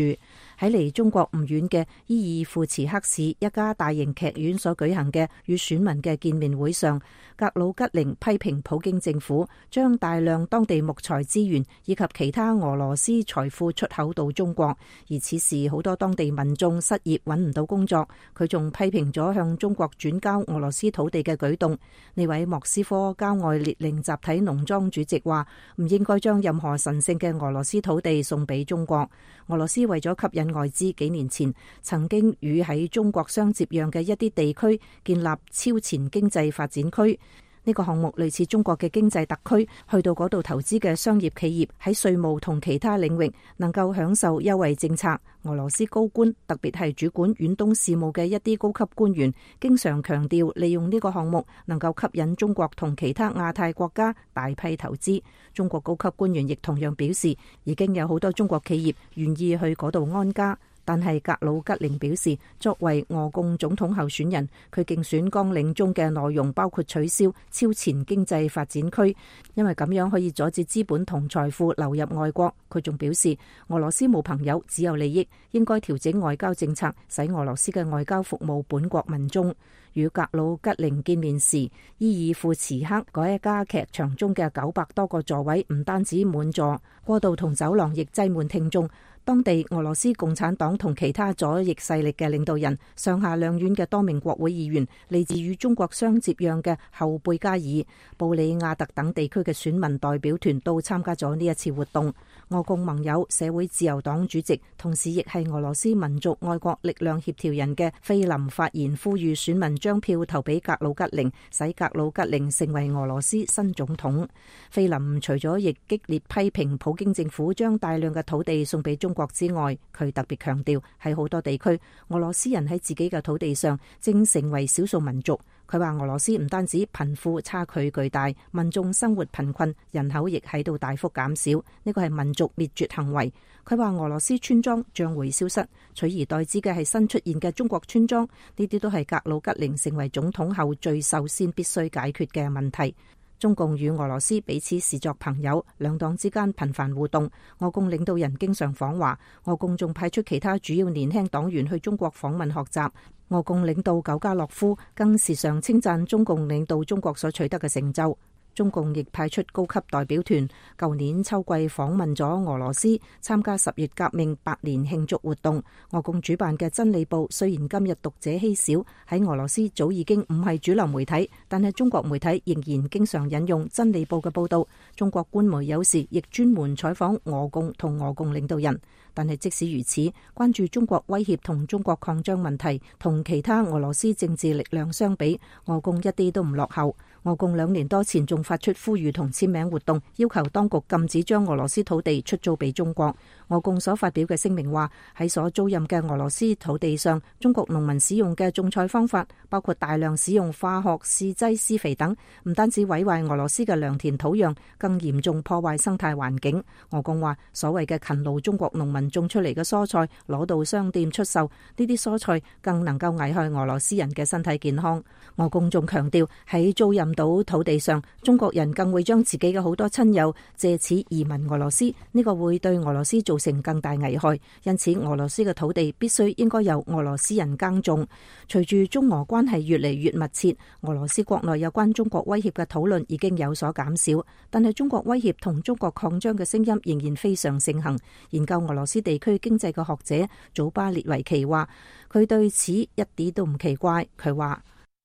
喺離中國唔遠嘅伊爾庫茨克市一家大型劇院所舉行嘅與選民嘅見面會上，格魯吉寧批評普京政府將大量當地木材資源以及其他俄羅斯財富出口到中國，而此時好多當地民眾失業揾唔到工作。佢仲批評咗向中國轉交俄羅斯土地嘅舉動。呢位莫斯科郊外列寧集體農莊主席話，唔應該將任何神聖嘅俄羅斯土地送俾中國。俄羅斯為咗吸引外資，幾年前曾經與喺中國相接壤嘅一啲地區建立超前經濟發展區。呢個項目類似中國嘅經濟特區，去到嗰度投資嘅商業企業喺稅務同其他領域能夠享受優惠政策。俄羅斯高官，特別係主管遠東事務嘅一啲高級官員，經常強調利用呢個項目能夠吸引中國同其他亞太國家大批投資。中國高級官員亦同樣表示，已經有好多中國企業願意去嗰度安家。但係格魯吉寧表示，作為俄共總統候選人，佢競選綱領中嘅內容包括取消超前經濟發展區，因為咁樣可以阻止資本同財富流入外國。佢仲表示，俄羅斯冇朋友，只有利益，應該調整外交政策，使俄羅斯嘅外交服務本國民眾。與格魯吉寧見面時，伊爾庫茨克嗰一家劇場中嘅九百多個座位唔單止滿座，過道同走廊亦擠滿聽眾。當地俄羅斯共產黨同其他左翼勢力嘅領導人、上下兩院嘅多名國會議員、嚟自與中國相接壤嘅後貝加爾、布里亞特等地區嘅選民代表團都參加咗呢一次活動。俄共盟友社會自由黨主席，同時亦係俄羅斯民族愛國力量協調人嘅菲林發言，呼籲選民將票投俾格魯吉寧，使格魯吉寧成為俄羅斯新總統。菲林除咗亦激烈批評普京政府將大量嘅土地送俾中國之外，佢特別強調喺好多地區，俄羅斯人喺自己嘅土地上正成為少數民族。佢話俄羅斯唔單止貧富差距巨大，民眾生活貧困，人口亦喺度大幅減少，呢個係民族滅絕行為。佢話俄羅斯村莊將會消失，取而代之嘅係新出現嘅中國村莊，呢啲都係格魯吉寧成為總統後最首先必須解決嘅問題。中共與俄羅斯彼此視作朋友，兩黨之間頻繁互動。俄共領導人經常訪華，俄共仲派出其他主要年輕黨員去中國訪問學習。俄共領導久加諾夫更時常稱讚中共領導中國所取得嘅成就。中共亦派出高級代表團，舊年秋季訪問咗俄羅斯，參加十月革命百年慶祝活動。俄共主辦嘅真理報雖然今日讀者稀少，喺俄羅斯早已經唔係主流媒體，但係中國媒體仍然經常引用真理報嘅報道。中國官媒有時亦專門採訪俄共同俄共領導人。但係即使如此，關注中國威脅同中國擴張問題，同其他俄羅斯政治力量相比，俄共一啲都唔落後。俄共兩年多前仲發出呼籲同簽名活動，要求當局禁止將俄羅斯土地出租俾中國。俄共所發表嘅聲明話，喺所租賃嘅俄羅斯土地上，中國農民使用嘅種菜方法，包括大量使用化學試劑施肥等，唔單止毀壞俄羅斯嘅良田土壤，更嚴重破壞生態環境。俄共話，所謂嘅勤勞中國農民種出嚟嘅蔬菜攞到商店出售，呢啲蔬菜更能夠危害俄羅斯人嘅身體健康。俄共仲強調，喺租賃到土地上，中國人更會將自己嘅好多親友借此移民俄羅斯，呢個會對俄羅斯造成更大危害。因此，俄羅斯嘅土地必須應該由俄羅斯人耕種。隨住中俄關係越嚟越密切，俄羅斯國內有關中國威脅嘅討論已經有所減少，但係中國威脅同中國擴張嘅聲音仍然非常盛行。研究俄羅斯地區經濟嘅學者祖巴列維奇話，佢對此一啲都唔奇怪。佢話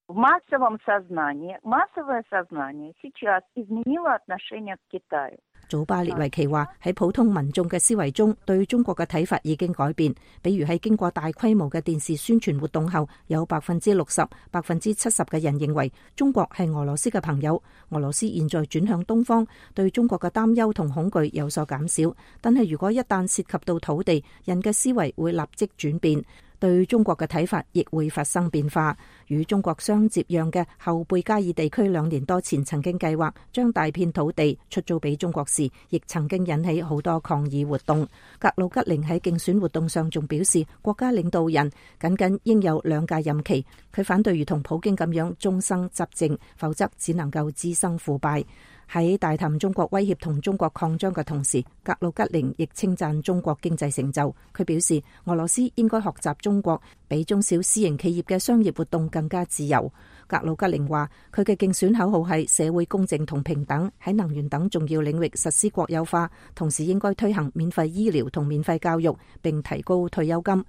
，В массовом сознании, массовое сознание сейчас изменило отношение к Китаю. 祖巴列維奇話，喺普通民眾嘅思維中，對中國嘅睇法已經改變。比如喺經過大規模嘅電視宣傳活動後，有百分之六十、百分之七十嘅人認為中國係俄羅斯嘅朋友。俄羅斯現在轉向東方，對中國嘅擔憂同恐懼有所減少。但係如果一旦涉及到土地，人嘅思維會立即轉變。對中國嘅睇法亦會發生變化。與中國相接壤嘅後貝加爾地區兩年多前曾經計劃將大片土地出租俾中國時，亦曾經引起好多抗議活動。格魯吉寧喺競選活動上仲表示，國家領導人僅僅應有兩屆任期。佢反對如同普京咁樣終生執政，否則只能夠滋生腐敗。喺大談中國威脅同中國擴張嘅同時，格魯吉寧亦稱讚中國經濟成就。佢表示，俄羅斯應該學習中國，比中小私營企業嘅商業活動更加自由。格魯吉寧話，佢嘅競選口號係社會公正同平等，喺能源等重要領域實施國有化，同時應該推行免費醫療同免費教育，並提高退休金。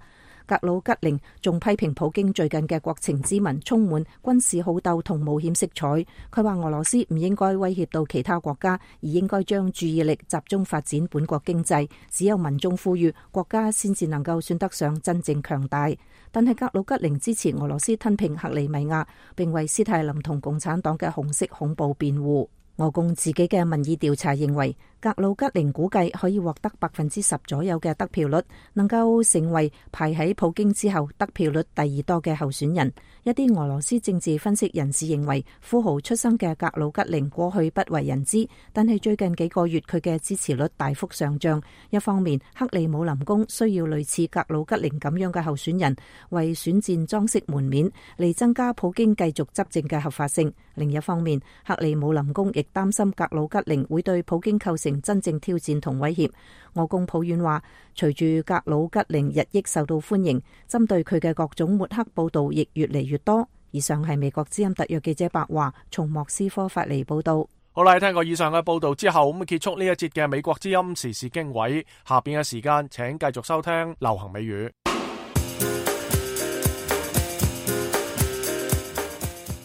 格魯吉寧仲批評普京最近嘅國情咨文充滿軍事好鬥同冒險色彩。佢話俄羅斯唔應該威脅到其他國家，而應該將注意力集中發展本國經濟。只有民眾富裕，國家先至能夠算得上真正強大。但係格魯吉寧支持俄羅斯吞併克里米亞，並為斯泰林同共產黨嘅紅色恐怖辯護。俄共自己嘅民意調查認為，格魯吉寧估計可以獲得百分之十左右嘅得票率，能夠成為排喺普京之後得票率第二多嘅候選人。一啲俄羅斯政治分析人士認為，富豪出身嘅格魯吉寧過去不為人知，但係最近幾個月佢嘅支持率大幅上漲。一方面，克里姆林宮需要類似格魯吉寧咁樣嘅候選人為選戰裝飾門面，嚟增加普京繼續執政嘅合法性。另一方面，克里姆林宮亦擔心格魯吉寧會對普京構成真正挑戰同威脅。俄共抱怨話，隨住格魯吉寧日益受到歡迎，針對佢嘅各種抹黑報道亦越嚟越多。以上係美國之音特約記者白華從莫斯科發嚟報道。好啦，聽過以上嘅報道之後，咁結束呢一節嘅美國之音時事經緯。下邊嘅時間，請繼續收聽流行美語。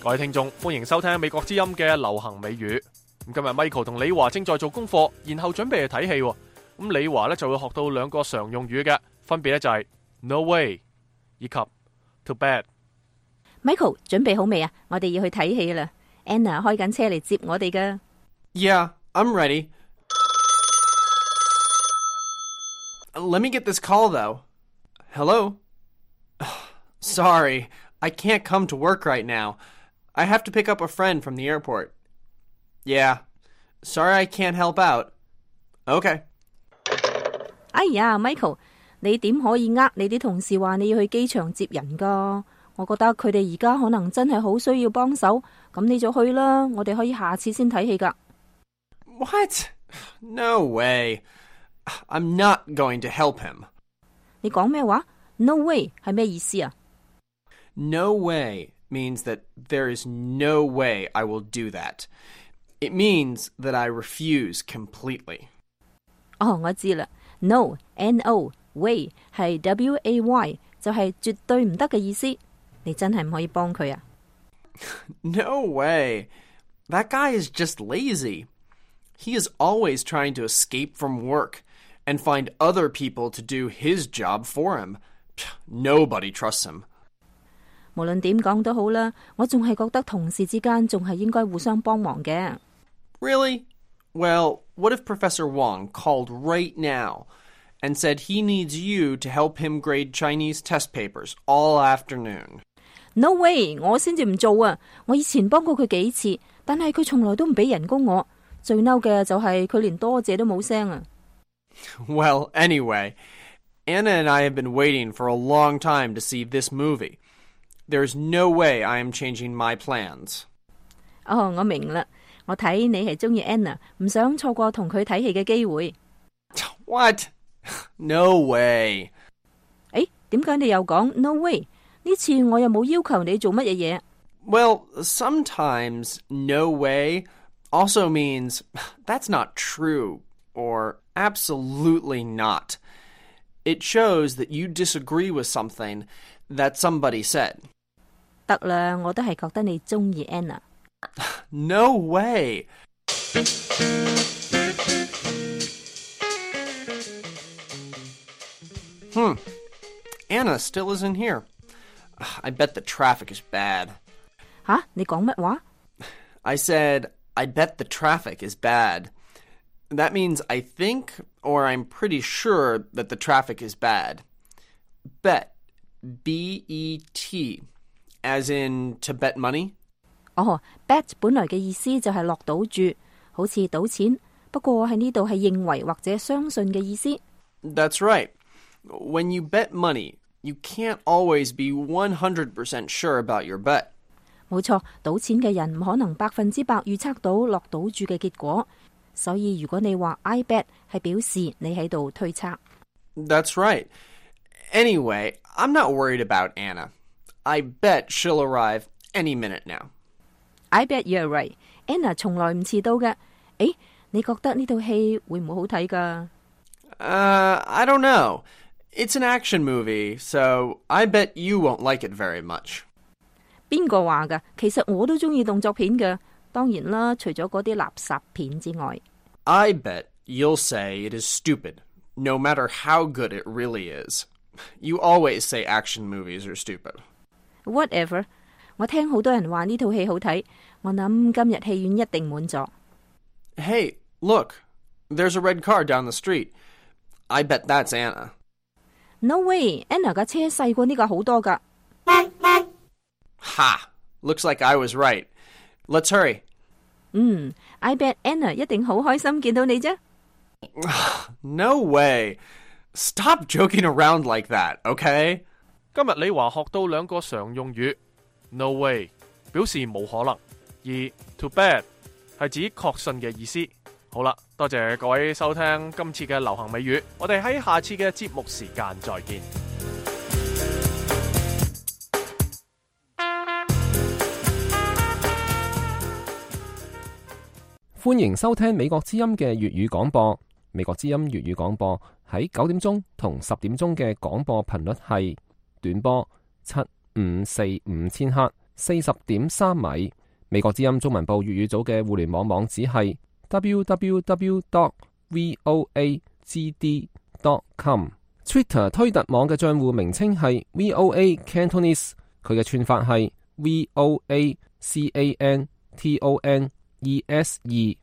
各位聽眾，歡迎收聽美國之音嘅流行美語。咁今日 Michael 同李華正在做功課，然後準備去睇戲。咁李華咧就會學到兩個常用語嘅，分別咧就係 no way 以及 too bad。Michael 準備好未啊？我哋要去睇戲啦。Anna 開緊車嚟接我哋噶。Yeah, I'm ready. Let me get this call, though. Hello? Sorry, I can't come to work right now. I have to pick up a friend from the airport. Yeah, sorry I can't help out. Okay. 哎呀 ，Michael， 你點可以呃你啲同事話你要去機場接人噶？我覺得佢哋而家可能真係好需要幫手，咁你就去啦。我哋可以下次先睇戲噶。What? No way. I'm not going to help him. 你講咩話 ？No way 係咩意思啊 ？No way means that there is no way I will do that. It means that I refuse completely. 哦，我知啦。No, N-O, way 係 W A Y， 就係絕對唔得嘅意思。你真係唔可以幫佢啊 ？No way. That guy is just lazy. He is always trying to escape from work and find other people to do his job for him. Nobody trusts him. 無論點講都好啦，我仲係覺得同事之間仲係應該互相幫忙嘅。Really? Well, what if Professor Wong called right now and said he needs you to help him grade Chinese test papers all afternoon? No way! 我先至唔做啊！我以前幫過佢幾次，但係佢從來都唔俾人工我。最嬲嘅就係佢連多謝都冇聲啊。Well, anyway, Anna and I have been waiting for a long time to see this movie. There's no way I am changing my plans. 哦，我明啦。我睇你係中意 Anna， 唔想錯過同佢睇戲嘅機會。What? No way. 誒，點解你又講 no way？ 呢次我又冇要求你做乜嘢嘢。Well, sometimes no way also means that's not true or absolutely not. It shows that you disagree with something that somebody said. 得啦，我都係覺得你中意 Anna。No way. Hmm. Anna still isn't here. I bet the traffic is bad. 吓？你講乜話？ I said, I bet the traffic is bad. That means I think or I'm pretty sure that the traffic is bad. Bet. B E T. As in to bet money? 哦 bet 本來嘅意思就係落賭注，好似賭錢，不過喺呢度係認為或者相信嘅意思。That's right. When you bet money, you can't always be one hundred percent sure about your bet. 冇錯，賭錢嘅人唔可能百分之百預測到落賭注嘅結果，所以如果你話 I bet 係表示你喺度推測。That's right. Anyway, I'm not worried about Anna. I bet she'll arrive any minute now. I bet you're right. Anna 從來唔遲到嘅。誒，你覺得呢套戲會唔會好睇㗎？ Uh, I don't know. It's an action movie, so I bet you won't like it very much. 邊個話㗎？其實我都中意動作片嘅，當然啦，除咗嗰啲垃圾片之外。I bet you'll say it is stupid, no matter how good it really is. You always say action movies are stupid. Whatever. 我聽好多人話呢套戲好睇，我諗今日戲院一定滿座。Hey, look, there's a red car down the street. I bet that's Anna. No way, Anna 架車細過呢架好多㗎。Ha! Looks like I was right. Let's hurry. 嗯 I bet Anna 一定好開心見到你啫。No way. Stop joking around like that, okay? 今日李華學到兩個常用語 ，no way 表示冇可能，而 too bad 係指確信嘅意思。好啦，多謝各位收聽今次嘅流行美語，我哋喺下次嘅節目時間再見。歡迎收聽美國之音嘅粵語廣播。美國之音粵語廣播喺九點鐘同十點鐘嘅廣播頻率係短波七五四五千赫，四十點三米。美國之音中文部粵語組嘅互聯網網址係 double-u double-u double-u dot voa g d dot com。Twitter 推特網嘅賬戶名稱係 V O A Cantonese， 佢嘅串法係 V O A C A N T O N E S E。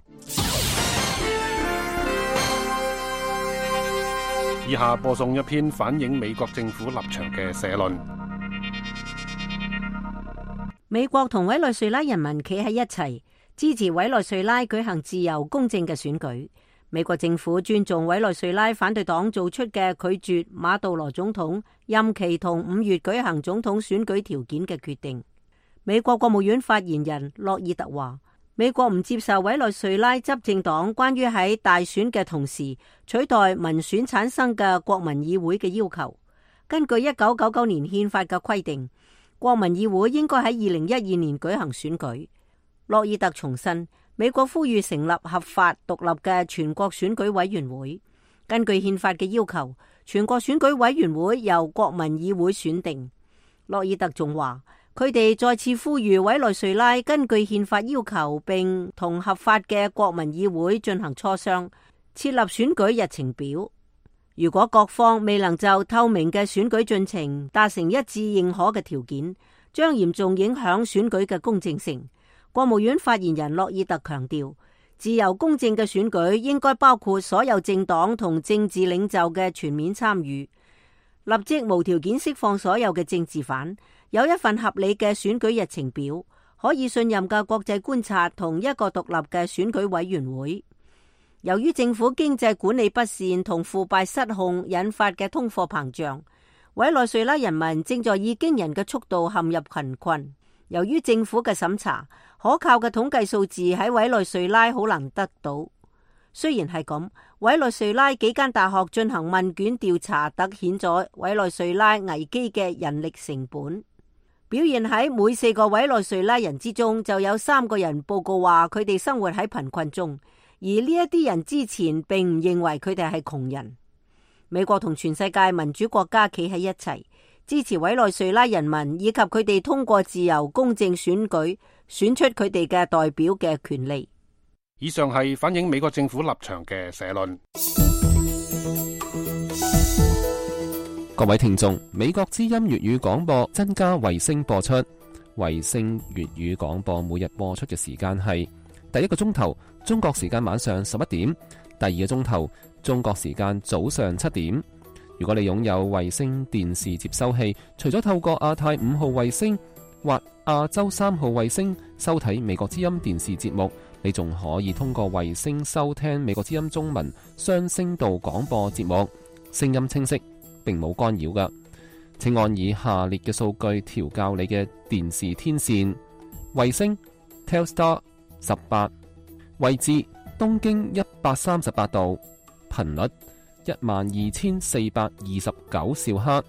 以下播送一篇反映美國政府立場嘅社論。美國同委內瑞拉人民企喺一齊，支持委內瑞拉舉行自由公正嘅選舉。美國政府尊重委內瑞拉反對黨做出嘅拒絕馬杜羅總統任期同五月舉行總統選舉條件嘅決定。美國國務院發言人洛爾特話，美國唔接受委內瑞拉執政黨關於喺大選嘅同時取代民選產生嘅國民議會嘅要求。根據一九九九年憲法嘅規定，國民議會應該喺二零一二年舉行選舉。洛爾特重申，美國呼籲成立合法獨立嘅全國選舉委員會。根據憲法嘅要求，全國選舉委員會由國民議會選定。洛爾特仲話，佢哋再次呼籲委內瑞拉根據憲法要求，並同合法嘅國民議會進行磋商，設立選舉日程表。如果各方未能就透明嘅選舉進程達成一致認可嘅條件，將嚴重影響選舉嘅公正性。國務院發言人洛爾特強調，自由公正嘅選舉應該包括所有政黨同政治領袖嘅全面參與，立即無條件釋放所有嘅政治犯，有一份合理嘅選舉日程表，可以信任嘅國際觀察同一個獨立嘅選舉委員會。由於政府經濟管理不善同腐敗失控引發嘅通貨膨脹，委內瑞拉人民正在以驚人嘅速度陷入貧困。由於政府嘅審查，可靠嘅統計數字喺委內瑞拉好難得到。雖然係咁，委內瑞拉幾間大學進行問卷調查，凸顯咗委內瑞拉危機嘅人力成本。表現喺每四個委內瑞拉人之中，就有三個人報告話佢哋生活喺貧困中。而呢一啲人之前並唔認為佢哋係窮人。美國同全世界民主國家企喺一齊，支持委內瑞拉人民以及佢哋通過自由公正選舉選出佢哋嘅代表嘅權利。以上係反映美國政府立場嘅社論。各位聽眾，美國之音粵語廣播增加衛星播出，衛星粵語廣播每日播出嘅時間係第一個鐘頭中國時間晚上十一點，第二個鐘頭中國時間早上七點。如果你擁有衛星電視接收器，除咗透過亞太五號衛星或亞洲三號衛星收睇美國之音電視節目，你仲可以通過衛星收聽美國之音中文雙聲道廣播節目，聲音清晰，並冇干擾㗎。請按以下列嘅數據調校你嘅電視天線：衛星 Telstar 十八，位置東經一百三十八度，頻率一萬二千四百二十九兆赫，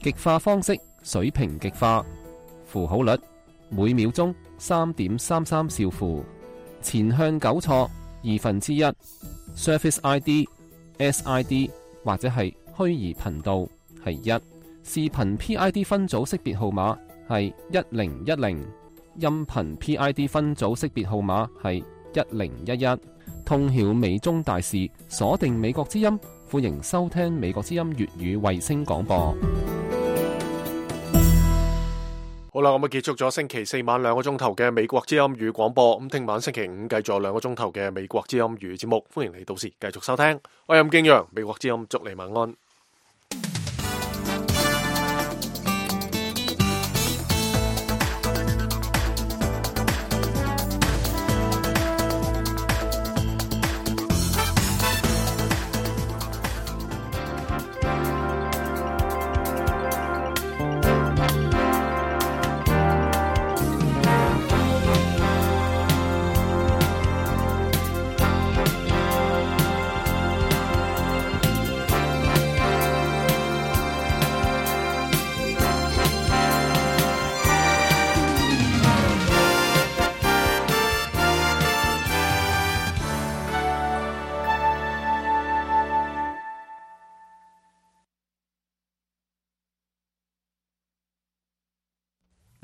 極化方式水平極化，符號率每秒鐘三點三三兆符，前向糾錯二分之一 ，Surface I D、S I D 或者係虛擬頻道係一，視頻 P I D 分組識別號碼係一零一零，音頻 P I D 分組識別號碼係一零一一。通曉美中大事，鎖定美國之音，歡迎收聽美國之音粵語衛星廣播。好啦，咁啊結束咗星期四晚兩個鐘頭嘅美國之音語廣播，咁聽晚星期五繼續兩個鐘頭嘅美國之音語節目，歡迎你到時繼續收聽。我係任敬陽，美國之音祝你晚安。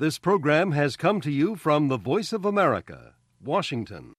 This program has come to you from the Voice of America, Washington.